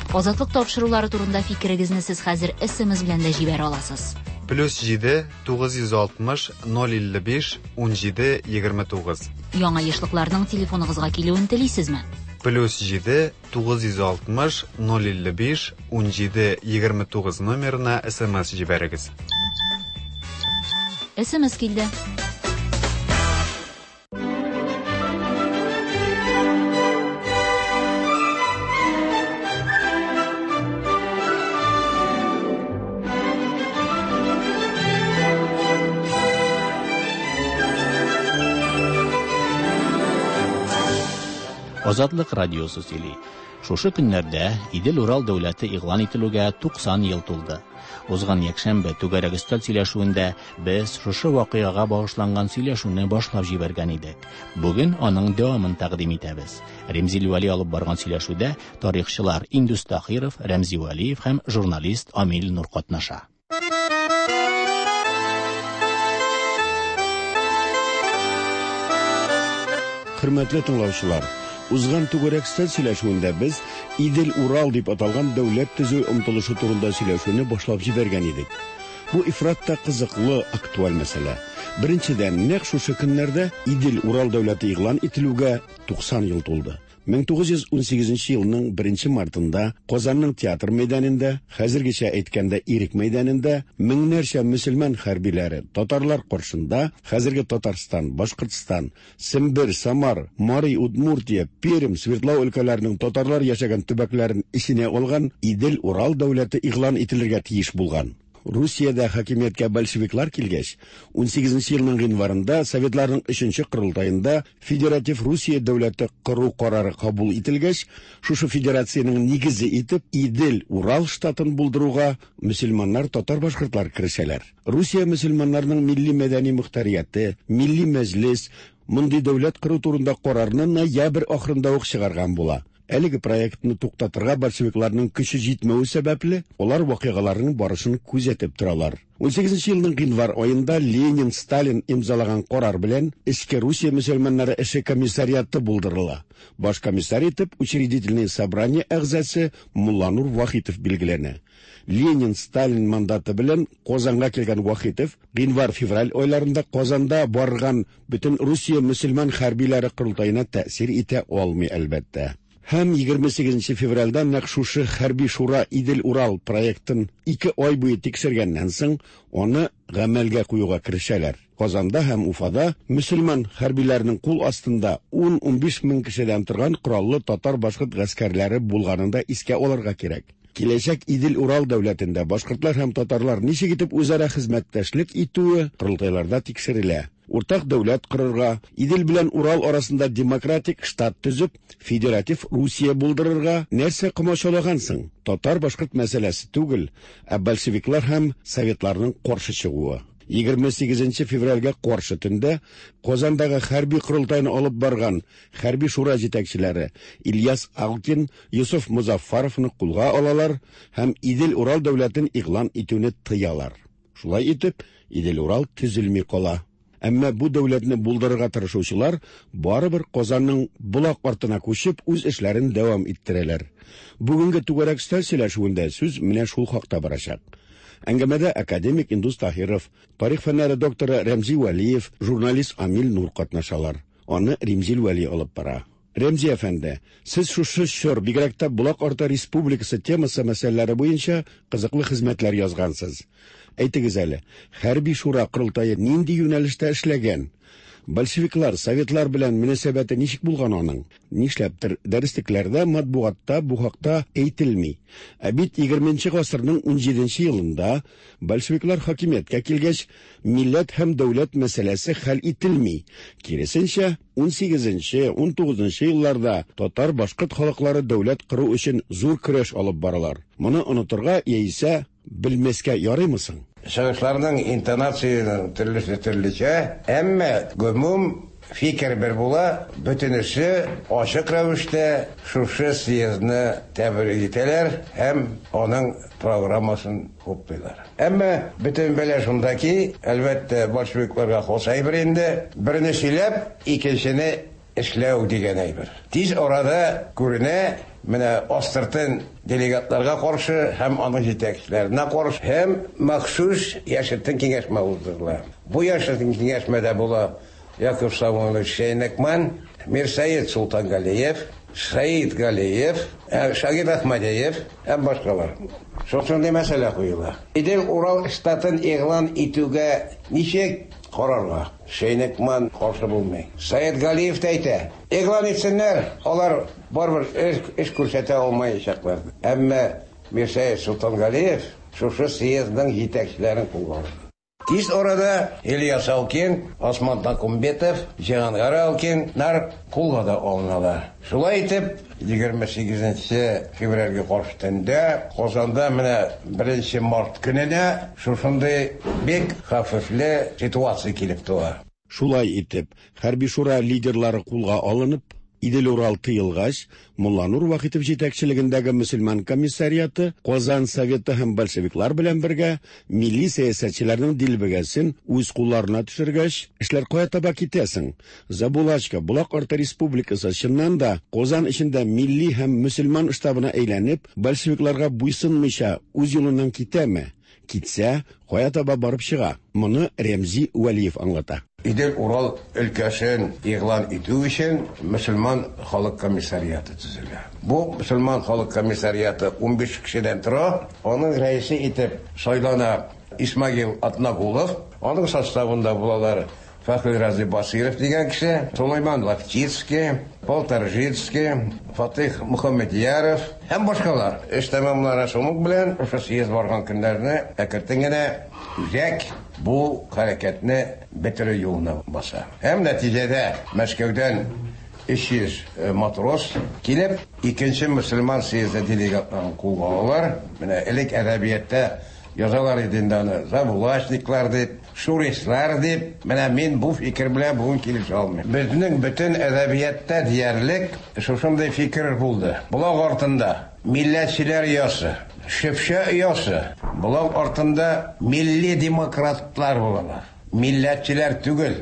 Азатлык тапшырулары турында фикерегезне сез хәзер СМС белән дә җибәрә аласыз. Плюс җиде, тугыз йөз алтмыш, ноль илле биш, ун җиде, егерме тугыз. Яңа ешлыкларның телефоныгызга килүен телисезме? Плюс җиде, тугыз йөз алтмыш, ноль илле биш, ун җиде, егерме тугыз номерына СМС җибәрегез. СМС килде. Азатлык радиосы сөйли. Шушы көннәрдә Идел-Урал дәүләте игълан ителүгә туксан ел тулды. Узган якшәмбе түгәрәк өстәл сөйләшүендә без шушы вакыйгага багышланган сөйләшүне башлап җибәргән идек. Бүген аның дәвамын тәкъдим итәбез. Ремзил Вәли алып барган сөйләшүдә тарихчылар Индус Тахиров, Рәмзи Вәлиев һәм журналист Амил Нур катнаша. Хөрмәтле тыңлаучылар, узган түгәрәк өстәл сөйләшүендә без Идел-Урал дип аталган дәүләт төзү омтылышы турында сөйләшүне башлап җибәргән идек. Бу ифрат та кызыклы, актуаль мәсьәлә. Беренчедән, нәкъ шушы көннәрдә Идел-Урал дәүләте игълан ителүгә туксан ел тулды. мең тугыз йөз унсигезенче елның беренче мартында Казанның театр мәйданында, хәзергечә әйткәндә Ирек мәйданында меңнәрчә мөселман хәрбиләре татарлар каршында хәзерге Татарстан, Башкортстан, Сембер, Самар, Мари, Удмуртия, Пермь, Свердлау өлкәләренең татарлар яшәгән төбәкләрен эченә алган Идел-Урал дәүләте игълан ителергә тиеш булган. Русиядә хакимияткә большевиклар килгәч, унсигезенче елның гыйнварында Советларның өченче корылтаенда Федератив Русия дәүләте кору карары кабул ителгәч, шушы федерациянең нигезе итеп Идел-Урал штатын булдыруга мөселманнар, татар-башкортлар керешәләр. Русия мөселманнарының милли мәдәни мөхтәрияте, милли мәҗлес мондый дәүләт кору турында карарны ноябрь ахырында ук чыгарган була. Әлеге проектны туктатырга большевикларның көче җитмәве сәбәпле, алар вакыйгаларның барышын күзәтеп торалар. Унсигезенче елның гыйнвар аенда Ленин, Сталин имзалаган карар белән Эчке Русия мөселманнары эше комиссариаты булдырыла. Баш комиссар итеп учредительное собрание әгъзасы Мулланур Вахитов билгеләнә. Ленин, Сталин мандаты белән Казанга килгән Вахитов гыйнвар-февраль айларында Казанда барган бөтен Русия мөселман хәрбиләре корылтаена тәэсир итә алмый, әлбәттә. Һәм егерме сигезенче февральдә нәкъ шушы хәрби шура Идел-Урал проектын ике ай буе тикшергәннән соң аны гамәлгә куюга керешәләр. Казанда һәм Уфада мөселман хәрбиләренең кул астында ун-унбиш мең кешедән торган кораллы татар-башкорт гаскәрләре булганын да искә алырга кирәк. Киләчәк Идел-Урал дәүләтендә башкортлар һәм татарлар ничек итеп үзара хезмәттәшлек итүе корылтайларда тикшерелә. Уртак дәүләт корырга, Идел белән Урал арасында демократик штат төзеп, федератив Русия булдырырга нәрсә комачаулагансың? Татар-башкорт мәсьәләсе түгел, ә большевиклар һәм советларның каршы чыгуы. Егерме сигезенче февральгә каршы төндә Казандагы хәрби корылтайны алып барган хәрби шура җитәкчеләре Ильяс Алкин, Юсуф Музаффаровны кулга алалар һәм Идел-Урал дәүләтен игълан итүне тыялар. Шулай итеп, Идел-Урал төзелми кала. Әмма бу дәүләтне булдырырга тырышучылар барыбер Казанның Болак артына күчеп үз эшләрен дәвам иттерәләр. Бүгенге түгәрәк өстәл сөйләшүендә сүз менә шул хакта барачак. Әңгәмәдә академик Индус Таһиров, тарих фәннәре докторы Рәмзи Вәлиев, журналист Амил Нур катнашалар. Аны Римзил Вәли алып бара. Рәмзи әфәнде, сез шушы чор, бигрәк тә Болак арты республикасы темасы мәсьәләләре буенча кызыклы хезмәтләр язгансыз. Әйтегез әле, хәрби шура корылтае нинди юнәлештә эшләгән? Большевиклар, советлар белән мөнәсәбәте ничек булган аның? Нишләптер дәреслекләрдә, матбугатта бу хакта әйтелми. Ә бит егерменче гасырның унҗиденче елында большевиклар хакимияткә килгәч, милләт һәм дәүләт мәсьәләсе хәл ителми. Киресенчә, унсигезенче, унтугызынчы елларда татар-башкорт халыклары дәүләт кору өчен зур көрәш алып баралар. Моны онытырга яисә белмәскә ярыймы соң? Чыгышларның интонациясенең төрлесе төрлечә, әмма гомум фикер бер була, бөтенесе ачык рәвештә шушы съездны тәбрик итәләр һәм аның программасын хуплыйлар. Әмма бөтен бәла шунда ки, әлбәттә, большевикларга хас әйбер инде, берне сөйләп, икенчене эшләү дигән әйбер. Тиз арада күренә, менә астыртын делегатларга каршы һәм аның җитәкчеләренә каршы һәм махсус яшертен киңәшмә уздырыла. Бу яшертен киңәшмәдә була Яков Самойлович Шейнекман, Мирсаид Султангалиев, Саид Галиев, Шагир Ахмадиев һәм башкалар. Шушындый мәсьәлә куела. Идел-Урал штатын игълан итүгә ничек карарга? Шейнекман каршы булмый. Саид Галиев та әйтә, игълан итсеннәр, алар барыбер эш күрсәтә алмаячаклар. Әмма Мирсаид Султангалиев шушы съездның җитәкчеләрен кулга алды. Тиз арада Ильяс Алкин, Осман Такумбетов, Җиһангар Алкиннар кулга да алыналар. Шулай итеп, егерме сигезенче февральгә каршы төндә Казанда менә беренче март көненә шушындый бик хәвефле ситуация килеп туа. Шулай итеп, хәрби шура лидерлары кулга алынып, Идел-Урал тыелгач, Мулланур Вахитов җитәкчелегендәге мөселман комиссариаты Казан Советы һәм большевиклар белән бергә милли сәясәтчеләрнең дилбегәсен үз кулларына төшергәч, эшләр кая таба китәсең? Забулачка, Болак арты республикасы чыннан да Казан эчендә милли һәм мөселман штабына әйләнеп, большевикларга буйсынмыйча үз юлыннан китәме? Китсә, кая таба барып чыга? Моны Рәмзи Вәлиев аңлата. Идел-Урал өлкәсен игълан итү өчен мөселман халык комиссариаты төзелә. Бу мөселман халык комиссариаты унбиш кешедән тора. Аның рәисе итеп сайлана Исмагил Атнагулов. Аның составында булалар Фәхри Рази Басиров дигән кеше, Сулейман Лафтицкий, Полторжицкий, Фатих Мөхәммәдьяров һәм башкалар. Эш тәмамлана шуның белән шушы съезд барган көннәрне әкертен генә үзәк бу хәрәкәтне бетерү юлына баса. Һәм нәтиҗәдә Мәскәүдән өч йөз матрос килеп, икенче мөселман съезды делегатларын кулга алалар. Менә элек әдәбиятта язалар иде инде аны, забулачниклар дип, шурислар дип. Менә мин бу фикер белән бүген килешә алмыйм. Безнең бөтен әдәбиятта диярлек шушындый фикер булды. Болак артында милләтчеләр оясы, шөпшә оясы, болак артында милли демократлар булалар. Милләтчеләр түгел,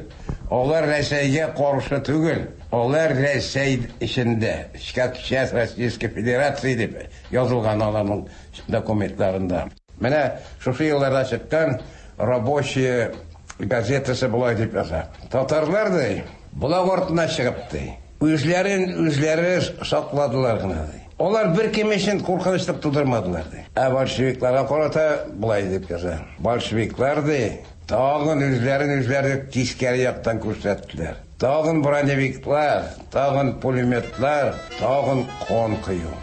алар Рәсәйгә каршы түгел, алар Рәсәй эчендә, как часть Российской Федерации дип язылган аларның документларында. Менә шушы елларда чыккан Рабочая газетасы болай дип яза. Татарлар ди, болак артына чыгып ди, үзләрен үзләре сакладылар гына ди. Алар бер кем өчен куркынычлык тудырмадылар ди. Ә большевикларга карата болай дип яза. Большевиклар ди, тагын үзләрен үзләре тискәре яктан күрсәттеләр. Тагын броневиклар, тагын пулеметлар, тагын кан кою.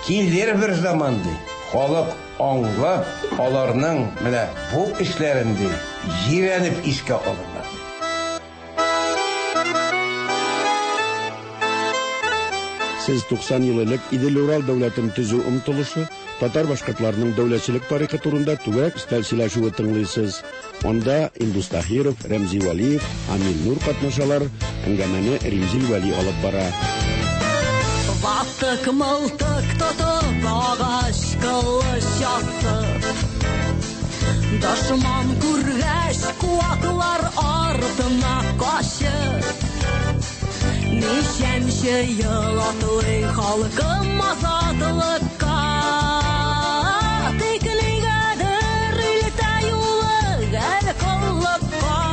Килер бер заман ди, халык аңлап, аларның менә бу эшләрен ди, җирәнеп искә алырлар. Сез туксан ел элек Идел-Урал дәүләтен төзү омтылышы, татар башкортларының дәүләтчелек тарихы турында түгәрәк өстәл сөйләшүе тыңлыйсыз. Анда Индус Таһиров, Рәмзи Вәлиев, Амил Нур катнашалар. Әңгәмәне Римзил Вәли алып бара. Ватык мылтык тотып, агач кылыч асып, дошман күргәч, куаклар артына качып, ничәнче ел атлый халкым азатлыкка, тик нигәдер илтә юлы гел коллыкка.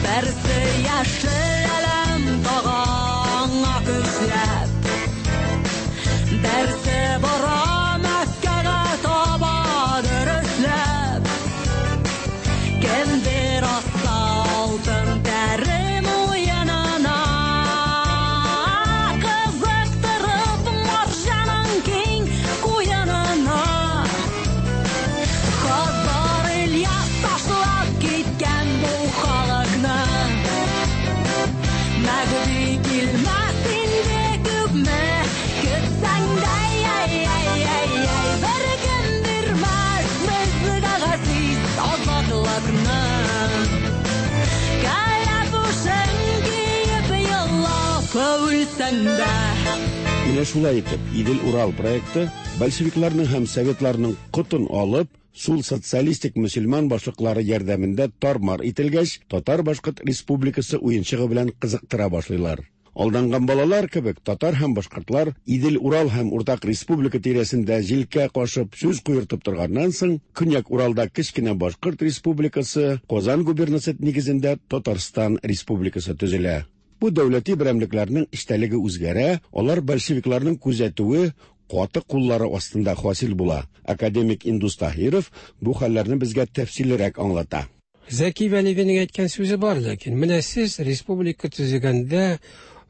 Берсе яшел әләм тага көчләп, берсе бара Мәккәгә таба дөресләп. Кемдер асса алтын тәре муенына, кызыктырып марҗаның киң куенына. Хазар Ильяс ташлап киткән бу халыкны, Мәгди килмәс инде күпме көтсәң дә, ай-ай-ай, бер кем бирмәс безгә газиз азатлыкны. Кәләпүшен киеп елап үлсәң дә. Менә шулай итеп, Идел-Урал проекты большевикларның һәм советларның котын алып, сул социалистик мөселман башлыклары ярдәмендә тармар ителгәч, Татар-Башкорт республикасы уенчыгы белән кызыктыра башлыйлар. Алданган балалар кебек татар һәм башкортлар Идел-Урал һәм Уртак республика тирәсендә җилкә кашып сүз куертып торганнан соң, Көньяк Уралда кечкенә Башкорт республикасы, Казан губернасы нигезендә Татарстан республикасы төзелә. Бу дәүләти берәмлекләрнең эчтәлеге үзгәрә, алар большевикларның күзәтүе каты куллары астында хасил була. Академик Индус Таһиров бу хәлләрне безгә тәфсиллерәк аңлата. Зәки Вәлиевнең әйткән сүзе бар, ләкин менә сез республика төзегәндә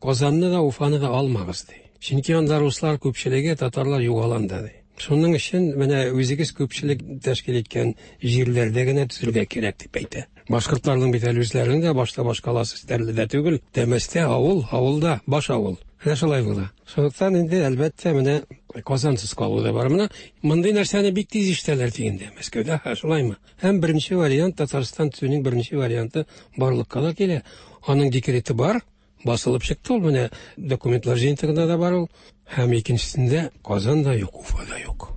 Казанны да, Уфаны да алмагыз ди. Чөнки анда руслар күпчелеге, татарлар югаланда ди. Шуның өчен менә үзегез күпчелек тәшкил иткән җирләрдә генә төзергә кирәк дип әйтә. Башкортларның бит әле үзләренең дә башта башкаласы Стәрледә түгел, Тәмәстә авыл, авылда баш авыл. Менә шулай була. Шунлыктан инде әлбәттә менә Казансыз калу да бар. Менә мондый нәрсәне бик тиз ишетәләр дигәндә Мәскәүдә, ха, шулаймы? Һәм беренче вариант, Татарстан төзүнең беренче варианты барлыкка да килә. Аның декреты бар, басылып чыкты ул, менә документлар җыентыгында да бар ул. Һәм икенчесендә Казан да юк, Уфа да юк.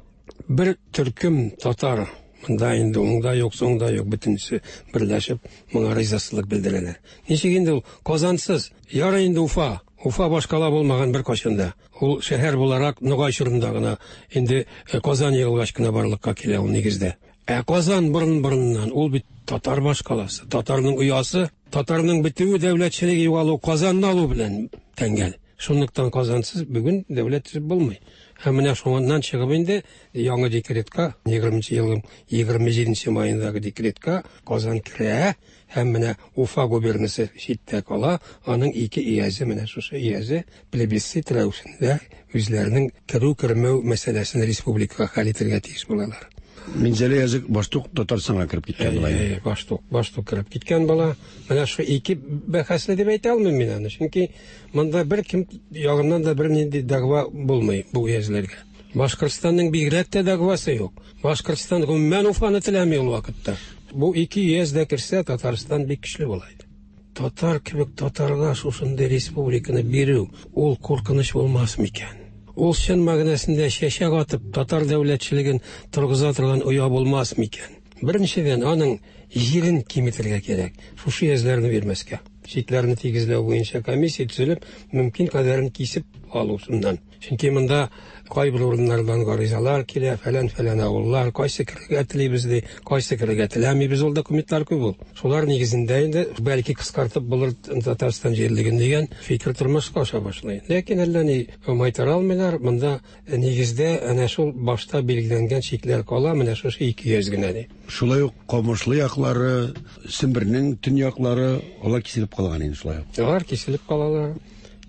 Бер төркем татар монда инде уңда юк, соңда юк, бөтенесе берләшеп моңа ризасызлык белдерәләр. Ничек инде ул Казансыз? Ярый инде Уфа. Уфа башкала булмаган бер кайчан да. Ул шәһәр буларак Ногай чорында гына инде Казан егылгач кына барлыкка килә ул нигездә. Ә Казан борын-борыннан ул бит татар башкаласы, татарның оясы, татарның бетүе, дәүләтчелеге югалу Казанны алу белән тәңгәл. Шунлыктан Казансыз бүген дәүләт төзеп булмый. Һәм менә шуннан чыгып инде яңа декретка, егерменче елның егерме җиденче маендагы декретка Казан керә һәм менә Уфа губернасы читтә кала, аның ике иязе, менә шушы иязе плебисцит рәвешендә үзләренең керү-кермәү мәсьәләсен республикага хәл итәргә тиеш булалар. Минзәлә язык баштук Татарстанга кереп киткән була. Әйе, баштук, баштук кереп киткән була. Менә шу ике бәхәсле дип әйтә алмыйм мин аны, чөнки монда бер кем ягыннан да бернинди дәгъва булмый бу өязләргә. Башкортстанның бигрәк тә дәгъвасы юк. Башкортстан гомумән Уфаны теләми ул вакытта. Бу ике өяз дә керсә, Татарстан бик көчле була иде. Татар кебек татарга шушындый республиканы бирү ул куркыныч булмас микән? Ул чын мәгънәсендә чәчәк атып татар дәүләтчелеген торгыза торган оя булмас микән? Беренчедән, аның җирен киметергә кирәк. Шушы өязләрне бирмәскә. Чикләрне тигезләү буенча комиссия төзелеп, мөмкин кадәрен кисеп алу шуннан. Чөнки монда кайбер урыннардан гаризалар килә, фәлән-фәлән авыллар, кайсы керергә телибез ди, кайсы керергә теләмибез, ул документлар күп ул. Шулар нигезендә инде бәлки кыскартып булыр Татарстан җирлеген дигән фикер тормышка аша башлый. Ләкин әллә ни майтара алмыйлар, монда нигездә әнә шул башта билгеләнгән чикләр кала, менә шушы ике йөз генә ди. Шулай ук Камышлы яклары, Сембернең төньяклары, алар киселеп калган инде шулай ук. Алар киселеп калалар.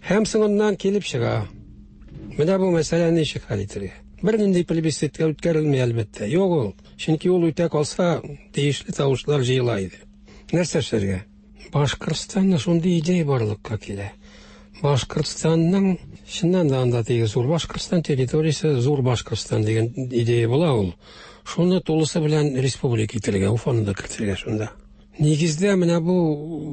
Һәм соңыннан килеп чыга. Менә бу мәсьәләне ничек хәл итәргә? Бернинди плебисцитка үткәрелми әлбәттә. Юк ул. Чөнки ул үтә калса, тиешле тавышлар җыела иде. Нәрсә эшләргә? Башкортстанда шундый идея барлыкка килә. Башкортстанның чыннан да анда теге зур Башкортстан территориясе, зур Башкортстан дигән идея була ул. Шуны тулысы белән республика итәргә, Уфаны да кертергә шунда. Нигездә менә бу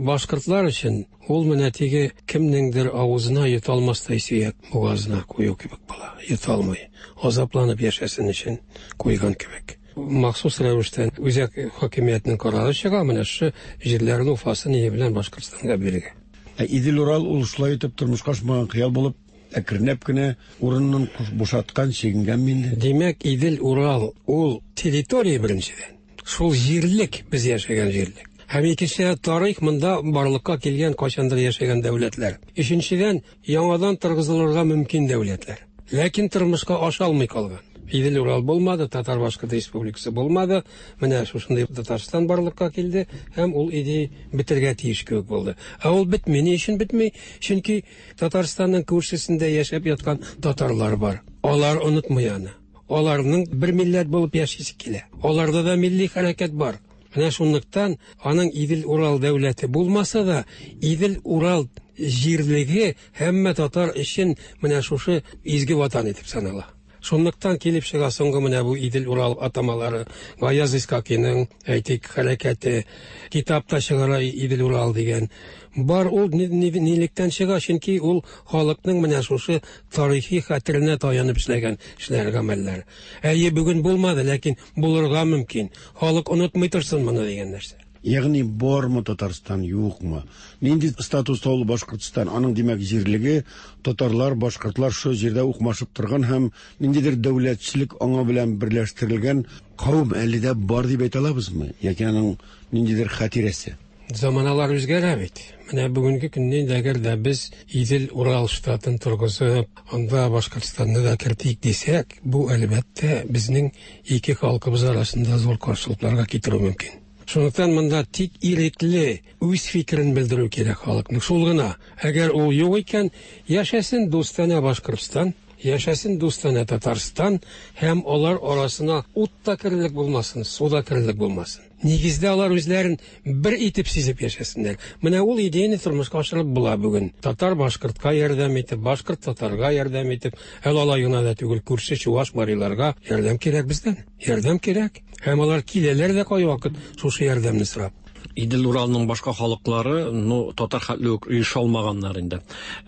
башкортлар өчен ул менә теге кемнеңдер авызына йота алмастай сөяк бугазына кую кебек була. Йота алмый. Азапланып яшәсен өчен куйган кебек. Махсус рәвештә үзәк хакимиятнең карары чыга, менә шушы җирләрне Уфасы ние белән Башкортстанга бирергә. Ә Идел-Урал ул шулай итеп тормышка ашмаган хыял булып, әкренләп кенә урынын бушаткан, чигенгән инде. Димәк, Идел-Урал ул территория беренчедән. Шул җирлек, без яшәгән җирлек. Һәм икенчедән, тарих монда барлыкка килгән кайчандыр яшәгән дәүләтләр. Өченчедән, яңадан торгызылырга мөмкин дәүләтләр. Ләкин тормышка аша алмый калган. Идел-Урал булмады, Татар-Башкорт республикасы булмады. Менә шушындый Татарстан барлыкка килде һәм ул идея бетергә тиеш кебек булды. Ә ул бетми. Ни өчен бетми? Чөнки Татарстанның күршесендә яшәп яткан татарлар бар. Алар онытмый аны. Аларның бер милләт булып яшисе килә. Аларда да милли хәрәкәт бар. Менә шунлыктан аның Идел-Урал дәүләте булмаса да, Идел-Урал җирлеге һәммә татар өчен менә шушы изге ватан итеп санала. Шунлыктан килеп чыга соңгы менә бу Идел-Урал атамалары, Гаяз Исхакиның, әйтик, хәрәкәте, китапта чыгара Идел-Урал дигән. Бар ул нилектән чыга, чөнки ул халыкның менә шушы тарихи хәтеренә таянып эшләгән эшләр, гамәлләр. Әйе, бүген булмады, ләкин булырга мөмкин. Халык онытмый торсын моны дигән нәрсә. Ягъни бармы Татарстан, юкмы? Нинди статуста ул Башкортстан? Аның димәк җирлеге татарлар, башкортлар шул җирдә укмашып торган һәм ниндидер дәүләтчелек аңа белән берләштерелгән кавым әле дә бар дип әйтә алабызмы? Яки аның ниндидер хатирәсе? Заманалар үзгәрә бит. Менә бүгенге көндә әгәр дә без Идел-Урал штатын торгызып, анда Башкортстанны да кертик дисәк, бу әлбәттә безнең ике халкыбыз арасында зур каршылыкларга китерү мөмкин. Шунлыктан монда тик ирекле үз фикерен белдерү кирәк халыкның. Шул гына. Әгәр ул юк икән, яшәсен дустанә Башкортстан, яшәсен дустанә Татарстан һәм алар арасына ут та керерлек булмасын, су да керерлек булмасын. Нигездә алар үзләрен бер итеп сизеп яшәсеннәр. Менә ул идеяны тормышка ашырып була бүген. Татар башкортка ярдәм итеп, башкорт татарга ярдәм итеп, әле алай гына да түгел, күрше чуваш мариларга ярдәм кирәк бездән. Ярдәм кирәк. Һәм алар киләләр дә кайвакыт шушы ярдәмне сорап. Идел-Уралның башка халыклары, ну, татар хәтле үк оеша алмаганнар инде.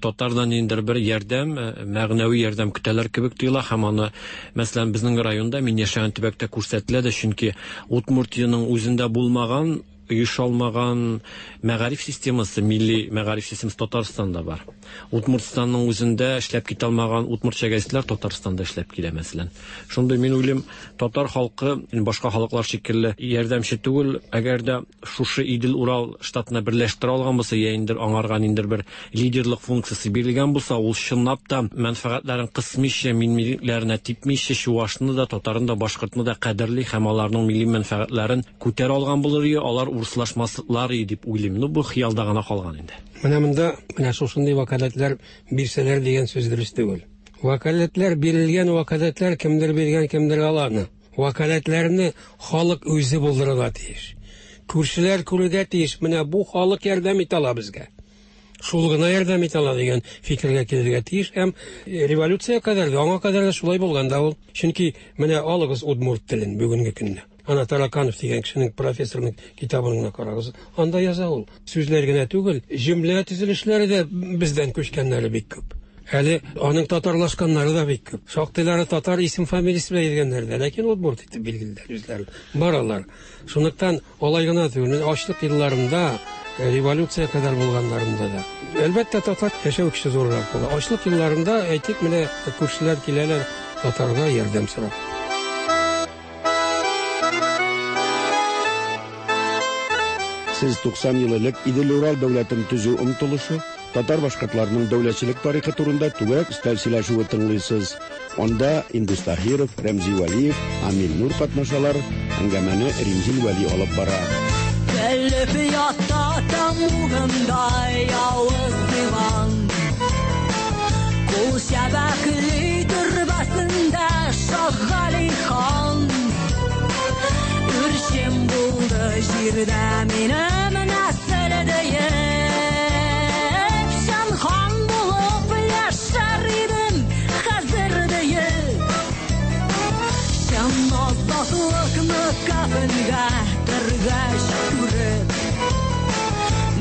Татардан инде бер ярдәм, мәгънәви ярдәм көтәләр кебек тоела һәм аны, мәсәлән, безнең районда, мин яшәгән төбәктә күрсәтелә дә, чөнки Удмуртиянең үзендә булмаган оеша алмаган мәгариф системасы, милли мәгариф системасы Татарстанда бар. Удмуртстанның үзендә эшләп китә алмаган удмуртча гәзитләр Татарстанда эшләп килә, мәсәлән. Шундый мин уйлыйм, татар халкы башка халыклар шикелле ярдәмче түгел, әгәр дә шушы Идел-Урал штатына берләштерә алган булса, я инде аңарга ниндидер бер лидерлык функциясе бирелгән булса, ул чынлап та мәнфәгатьләрен кысмыйча, миллиләренә типмичә, чувашны да, татарны да, башкортны да кадерли һәм аларның милли мәнфәгатьләрен күтәрә алган булыр иде, алар урыслашмаслар иде дип уйлыйм. Ну, бу хыялда гына калган инде. Менә монда менә шушындый вәкаләтләр бирсәләр дигән сүз дөрес түгел. Вәкаләтләр бирелгән вәкаләтләр кемдер биргән, кемдер аланы. Вәкаләтләрне халык үзе булдырырга тиеш. Күршеләр күрергә тиеш. Менә бу халык ярдәм итә ала безгә. Шул гына ярдәм итә ала дигән фикергә килергә тиеш. Һәм революция кадәр дә, аңа кадәр дә шулай булган да ул. Чөнки менә алыгыз удмурт телен бүгенге көндә. Ана Тараканов дигән кешенең, профессорның китабын гына карагыз. Анда яза ул. Сүзләр генә түгел, җөмлә төзелешләре дә бездән күчкәннәре бик күп. Әле аның татарлашканнары да бик күп. Шактыйлары татар исем фамилиясе белән йөргәннәр дә, ләкин удмурт итеп билгелиләр үзләрен. Бар алар. Шунлыктан алай гына түгел, ачлык елларында, революция кадәр булганнарында да. Әлбәттә, татар яшәү көче зуррак була. Ачлык елларында, әйтик, менә күршеләр киләләр татарга ярдәм сорап. Сез туксан ел элек Идел-Урал дәүләтен төзү омтылышы, татар башкортларының дәүләтчелек тарихы турында түгәрәк өстәл сөйләшүе тыңлыйсыз. Анда Индус Таһиров, Рәмзи Вәлиев, Амил Нур катнашалар. Әңгәмәне Римзил Вәли алып бара. Көлеп ята тамугында явыз Иван. Кул чәбәкли төрбәсендә Шаһгали хан. Үрчем булды җирдә минем нәсел диеп, чын хан булып яшәр идем хәзер диеп. Чын азатлыкны кафенгә төргәч күреп,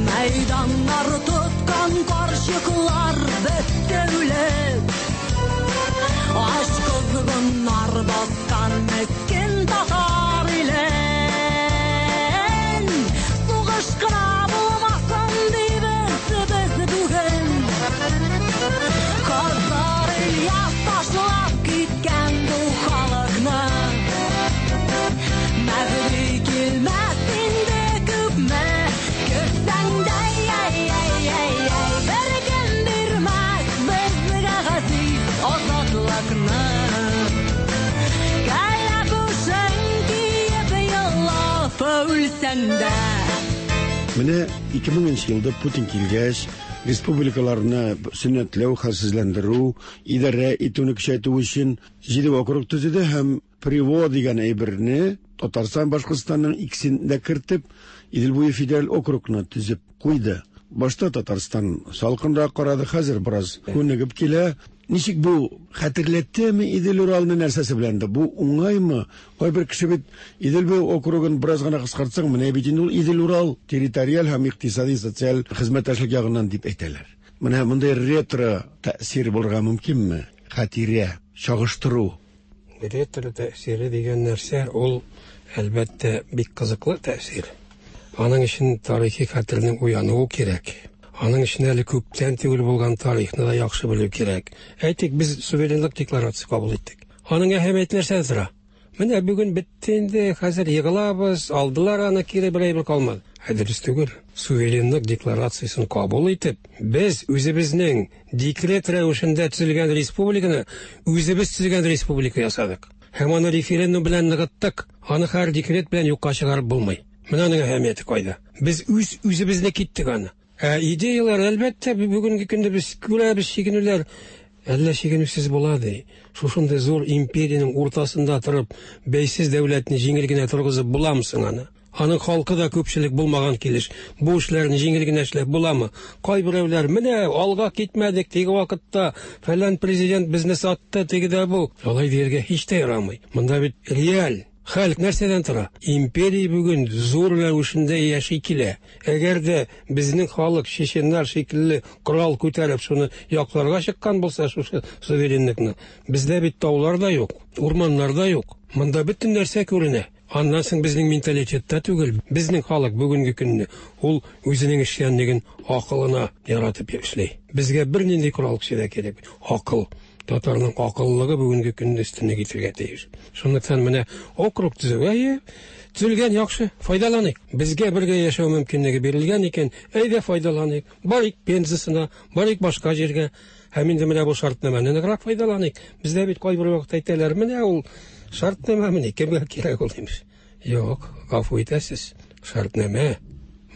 мәйданнар тоткан карчыклар бетте үлеп. Ач козгыннар баскан мескен татар илен. Сугыш кына булмасын дибез без бүген. Хазар Ильяс ташлап киткән бу халыкны. Мәһди килмәс инде күпме көтсәң дә, ай-ай-ай-ай, бер кем бирмәс безгә газиз азатлыкны. Кәләпүшең киеп елап үлсәң дә. Менә ике меңенче елда Путин килгәч, республикаларны сөннәтләү, хәлсезләндерү, идарә итүне көчәйтү өчен җиде округ төзеде һәм Приво дигән әйберне Татарстан, Башкортстанның икесен дә кертеп, Идел буе федераль округны төзеп куйды. Башта Татарстан салкынрак карады, хәзер бераз күнегеп килә. Ничек бу хәтерләттеме Идел-Уралны нәрсәсе белән дә? Бу уңаймы? Кайбер кеше бит Идел буе округын бераз гына кыскартсаң, менә бит инде ул Идел-Урал территориаль һәм икътисади социаль хезмәттәшлек ягыннан дип әйтәләр. Менә мондай ретро тәэсир булырга мөмкинме? Хатирә, чагыштыру. Ретро тәэсире дигән нәрсә ул әлбәттә бик кызыклы тәэсир. Аның өчен тарихи хәтернең уянуы кирәк. Аның өчен әле күптән түгел булган тарихны да яхшы белү кирәк. Әйтик, без суверенлык декларациясе кабул иттек. Аның әһәмияте нәрсәдә тора? Менә бүген бетте инде, хәзер егылабыз, алдылар аны кире, бер әйбер калмады. Ә дөрес түгел. Суверенлык декларациясен кабул итеп, без үзебезнең декрет рәвешендә төзелгән республиканы үзебез төзегән республика ясадык. Һәм аны референдум белән ныгыттык. Аны һәр декрет белән юкка чыгарып булмый. Менә аның әһәмияте кайда? Без үз үзебезне киттек аны. Ә идеялар, әлбәттә, бүгенге көндә без күрәбез чигенүләр. Әллә чигенүсез була ди. Шушындый зур империянең уртасында торып, бәйсез дәүләтне җиңел генә торгызып буламы соң аны? Аның халкы да күпчелек булмаган килеш. Бу эшләрне җиңел генә эшләп буламы? Кайберәүләр, менә алга китмәдек, теге вакытта фәлән президент безне сатты, теге дә бу. Алай дияргә һич тә ярамый. Монда бит реаль хәл нәрсәдән тора? Империя бүген зур рәвешендә яши килә. Әгәр дә безнең халык чеченнар шикелле корал күтәреп шуны якларга чыккан булса, шушы суверенлыкны, бездә бит таулар да юк, урманнар да юк. Монда бөтен нәрсә күренә. Аннан соң безнең менталитетта түгел. Безнең халык бүгенге көнне ул үзенең эшчәнлеген акылына яратып эшли. Безгә бернинди корал көче дә кирәк. Акыл. Татарның акыллылыгы бүгенге көнне өстенлек итәргә тиеш. Шунлыктан менә округ төзү, әйе, төзелгән яхшы, файдаланыйк. Безгә бергә яшәү мөмкинлеге бирелгән икән, әйдә файдаланыйк. Барыйк Пензасына, барыйк башка җиргә. Һәм инде менә бу шартнамәне ныграк файдаланыйк. Бездә бит кайбер вакытта әйтәләр, менә ул шартнамә менә кемгә кирәк ул имеш. Юк, гафу итәсез. Шартнамә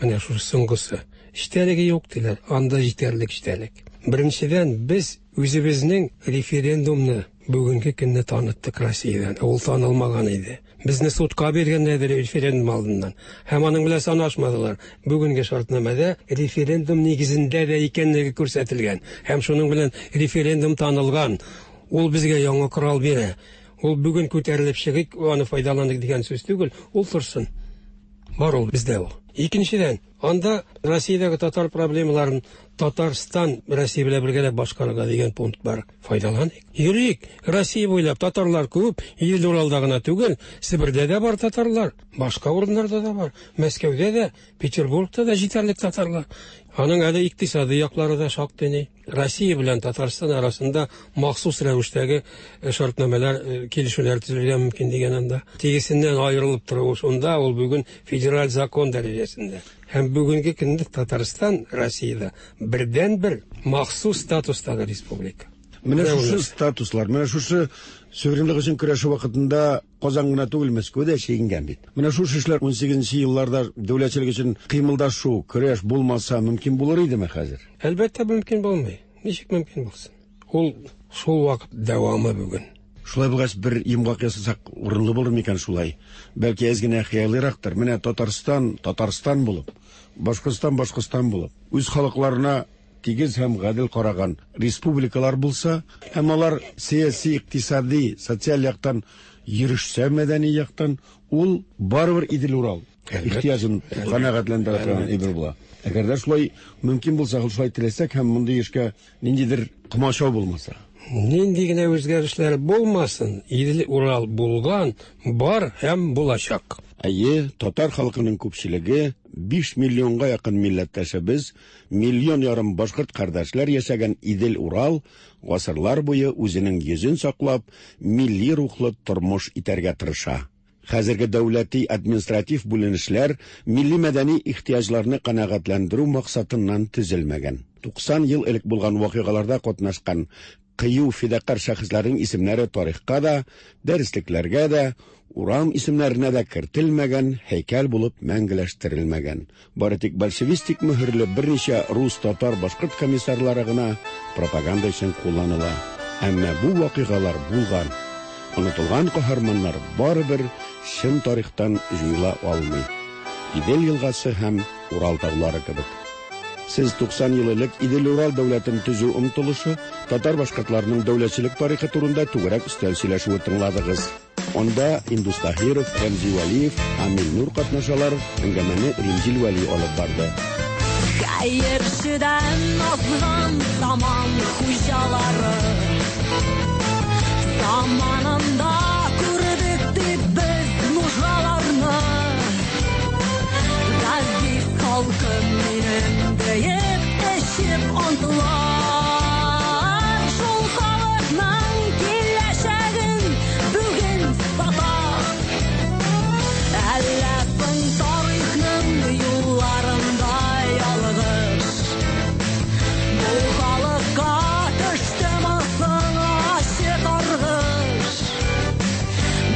менә шушы соңгысы. Эчтәлеге юк диләр, анда җитәрлек эчтәлек. Беренчедән, без үзебезнең референдумны бүгенге көнне таныттык Россиядән. Ул танылмаган иде. Безне судка биргәннәр референдум алдыннан. Һәм аның белән санашмадылар. Бүгенге шартнамәдә референдум нигезендә дә икәнлеге күрсәтелгән. Һәм шуның белән референдум танылган. Ул безгә яңа корал бирә. Ул бүген күтәрелеп чыгыйк, аны файдаланыйк дигән сүз түгел, ул торсын. Бар ул бездә ул. Икенчедән, анда Россиядәге татар проблемаларын Татарстан Россия белән бергәләп башкарырга дигән пункт бар. Файдаланыйк. Йөрик. Россия буйлап татарлар күп, Идел Уралда гына түгел, Себердә дә бар татарлар, башка урыннарда да бар. Мәскәүдә дә, Петербургта да җитәрлек татарлар. Аның әле икътисади яклары да шактый ни. Россия белән Татарстан арасында махсус рәвештәге шартнамәләр, килешүләр төзелергә мөмкин дигән анда. Тегесеннән аерылып торуы шунда, ул бүген федераль закон дәрәҗәсендә. Һәм бүгенге көндә Татарстан Россиядә бердән-бер махсус статустагы республика. Менә шушы статуслар, менә шушы суверенлык өчен көрәшү вакытында Казан гына түгел, Мәскәү дә чигенгән бит. Менә шушы эшләр унсигезенче елларда дәүләтчелек өчен кыймылдашу, көрәш булмаса мөмкин булыр идеме хәзер? Әлбәттә мөмкин булмый. Ничек мөмкин булсын? Ул шул вакыт дәвамы бүген. Шулай булгач, бер йомгак ясасак урынлы булыр микән шулай? Бәлки әз генә хыялыйрактыр. Менә Татарстан, Татарстан булып, Башкортстан, Башкортстан булып, үз халыкларына тигез һәм гадел караган республикалар булса, һәм алар сәяси, икътисади, социаль яктан йөрешсә, мәдәни яктан, ул барыбер Идел-Урал ихтыяҗын канәгатьләндерә торган әйбер була. Әгәр дә шулай мөмкин булса, шулай теләсәк һәм мондый эшкә ниндидер комачау булмаса. Нинди генә үзгәрешләр булмасын, Идел-Урал булган, бар һәм булачак. Әйе, татар халкының күпчелеге биш миллионга якын милләттәшебез, миллион ярым башкорт кардәшләр яшәгән Идел-Урал гасырлар буе үзенең йөзен саклап, милли рухлы тормыш итәргә тырыша. Хәзерге дәүләти административ бүленешләр милли мәдәни ихтыяҗларны канәгатьләндерү максатыннан төзелмәгән. туксан ел элек булган вакыйгаларда катнашкан кыю фидакар шәхесләрнең исемнәре тарихка да, дәреслекләргә дә, урам исемнәренә дә кертелмәгән, һәйкәл булып мәңгеләштерелмәгән. Бары тик большевистик мөһерле берничә рус, татар, башкорт комиссарлары гына пропаганда өчен кулланыла. Әмма бу вакыйгалар булган. Онытылган каһарманнар барыбер чын тарихтан җуела алмый. Идел елгасы һәм Урал таулары кебек. Сез туксан ел элек Идел-Урал дәүләтен төзү омтылышы, татар башкортларының дәүләтчелек тарихы турында түгәрәк өстәл сөйләшүе тыңладыгыз. Анда Индус Таһиров, Рәмзи Вәлиев, Амил Нур катнашалар, әңгәмәне Римзил Вәли алып барды. Хәерчедән азган заман хуҗалары, заманында күрдек дип без нужаларны. Газиз халкым минем диеп эчеп антылар, шул халыкның киләчәген бүген сата. Әллә соң тарихның юлларында ялгыш, бу халыкка төштеме соң ачы каргыш?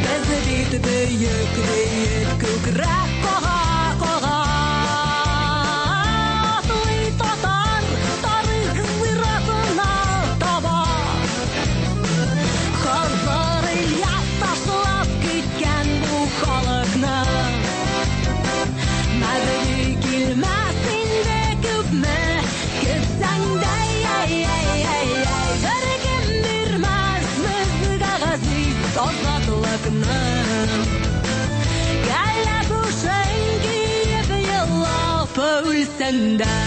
Без бит бөек диеп күкрәк кага кага, атлый татар тарих зиратына таба. Хазар Ильяс ташлап киткән бу халыкны, Мәгъди килмәс инде күпме көтсәң дә, беркем бирмәс безгә газиз азатлыкны. Кәләпүшен киеп елап үлсәң дә,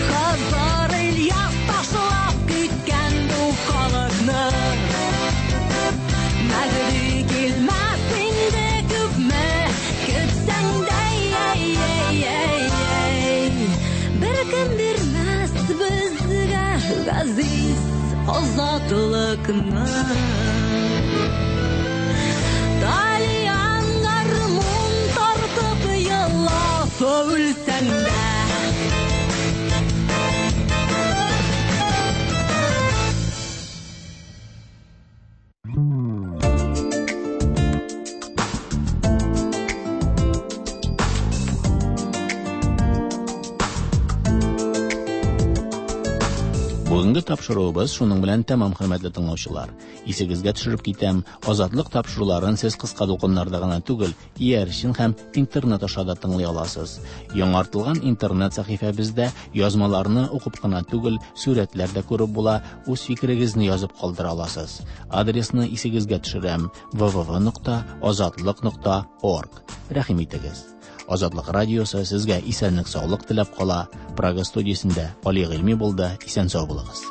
Хазар Ильяс ташлап киткән бу халыкны. Мәгъди килмәс инде Азатлыкны. Тальян гармун тартып елап үлсәң дә. Бүгенге тапшыруыбыз шуның белән тәмам, хөрмәтле тыңлаучылар. Исегезгә төшереп китәм, Азатлык тапшыруларын сез кыска дулкыннарда гына түгел, иярчен һәм интернет аша да тыңлый аласыз. Яңартылган интернет сәхифәбездә язмаларны укып кына түгел, сурәтләр дә күреп була, үз фикерегезне язып калдыра аласыз. Адресны исегезгә төшерәм: вэ вэ вэ нокта азатлык нокта орг. Рәхим итегез. Азатлык радиосы сезгә исәнлек саулык теләп кала. Прага студиясендә Али Гыйльми булды. Исән сау булыгыз.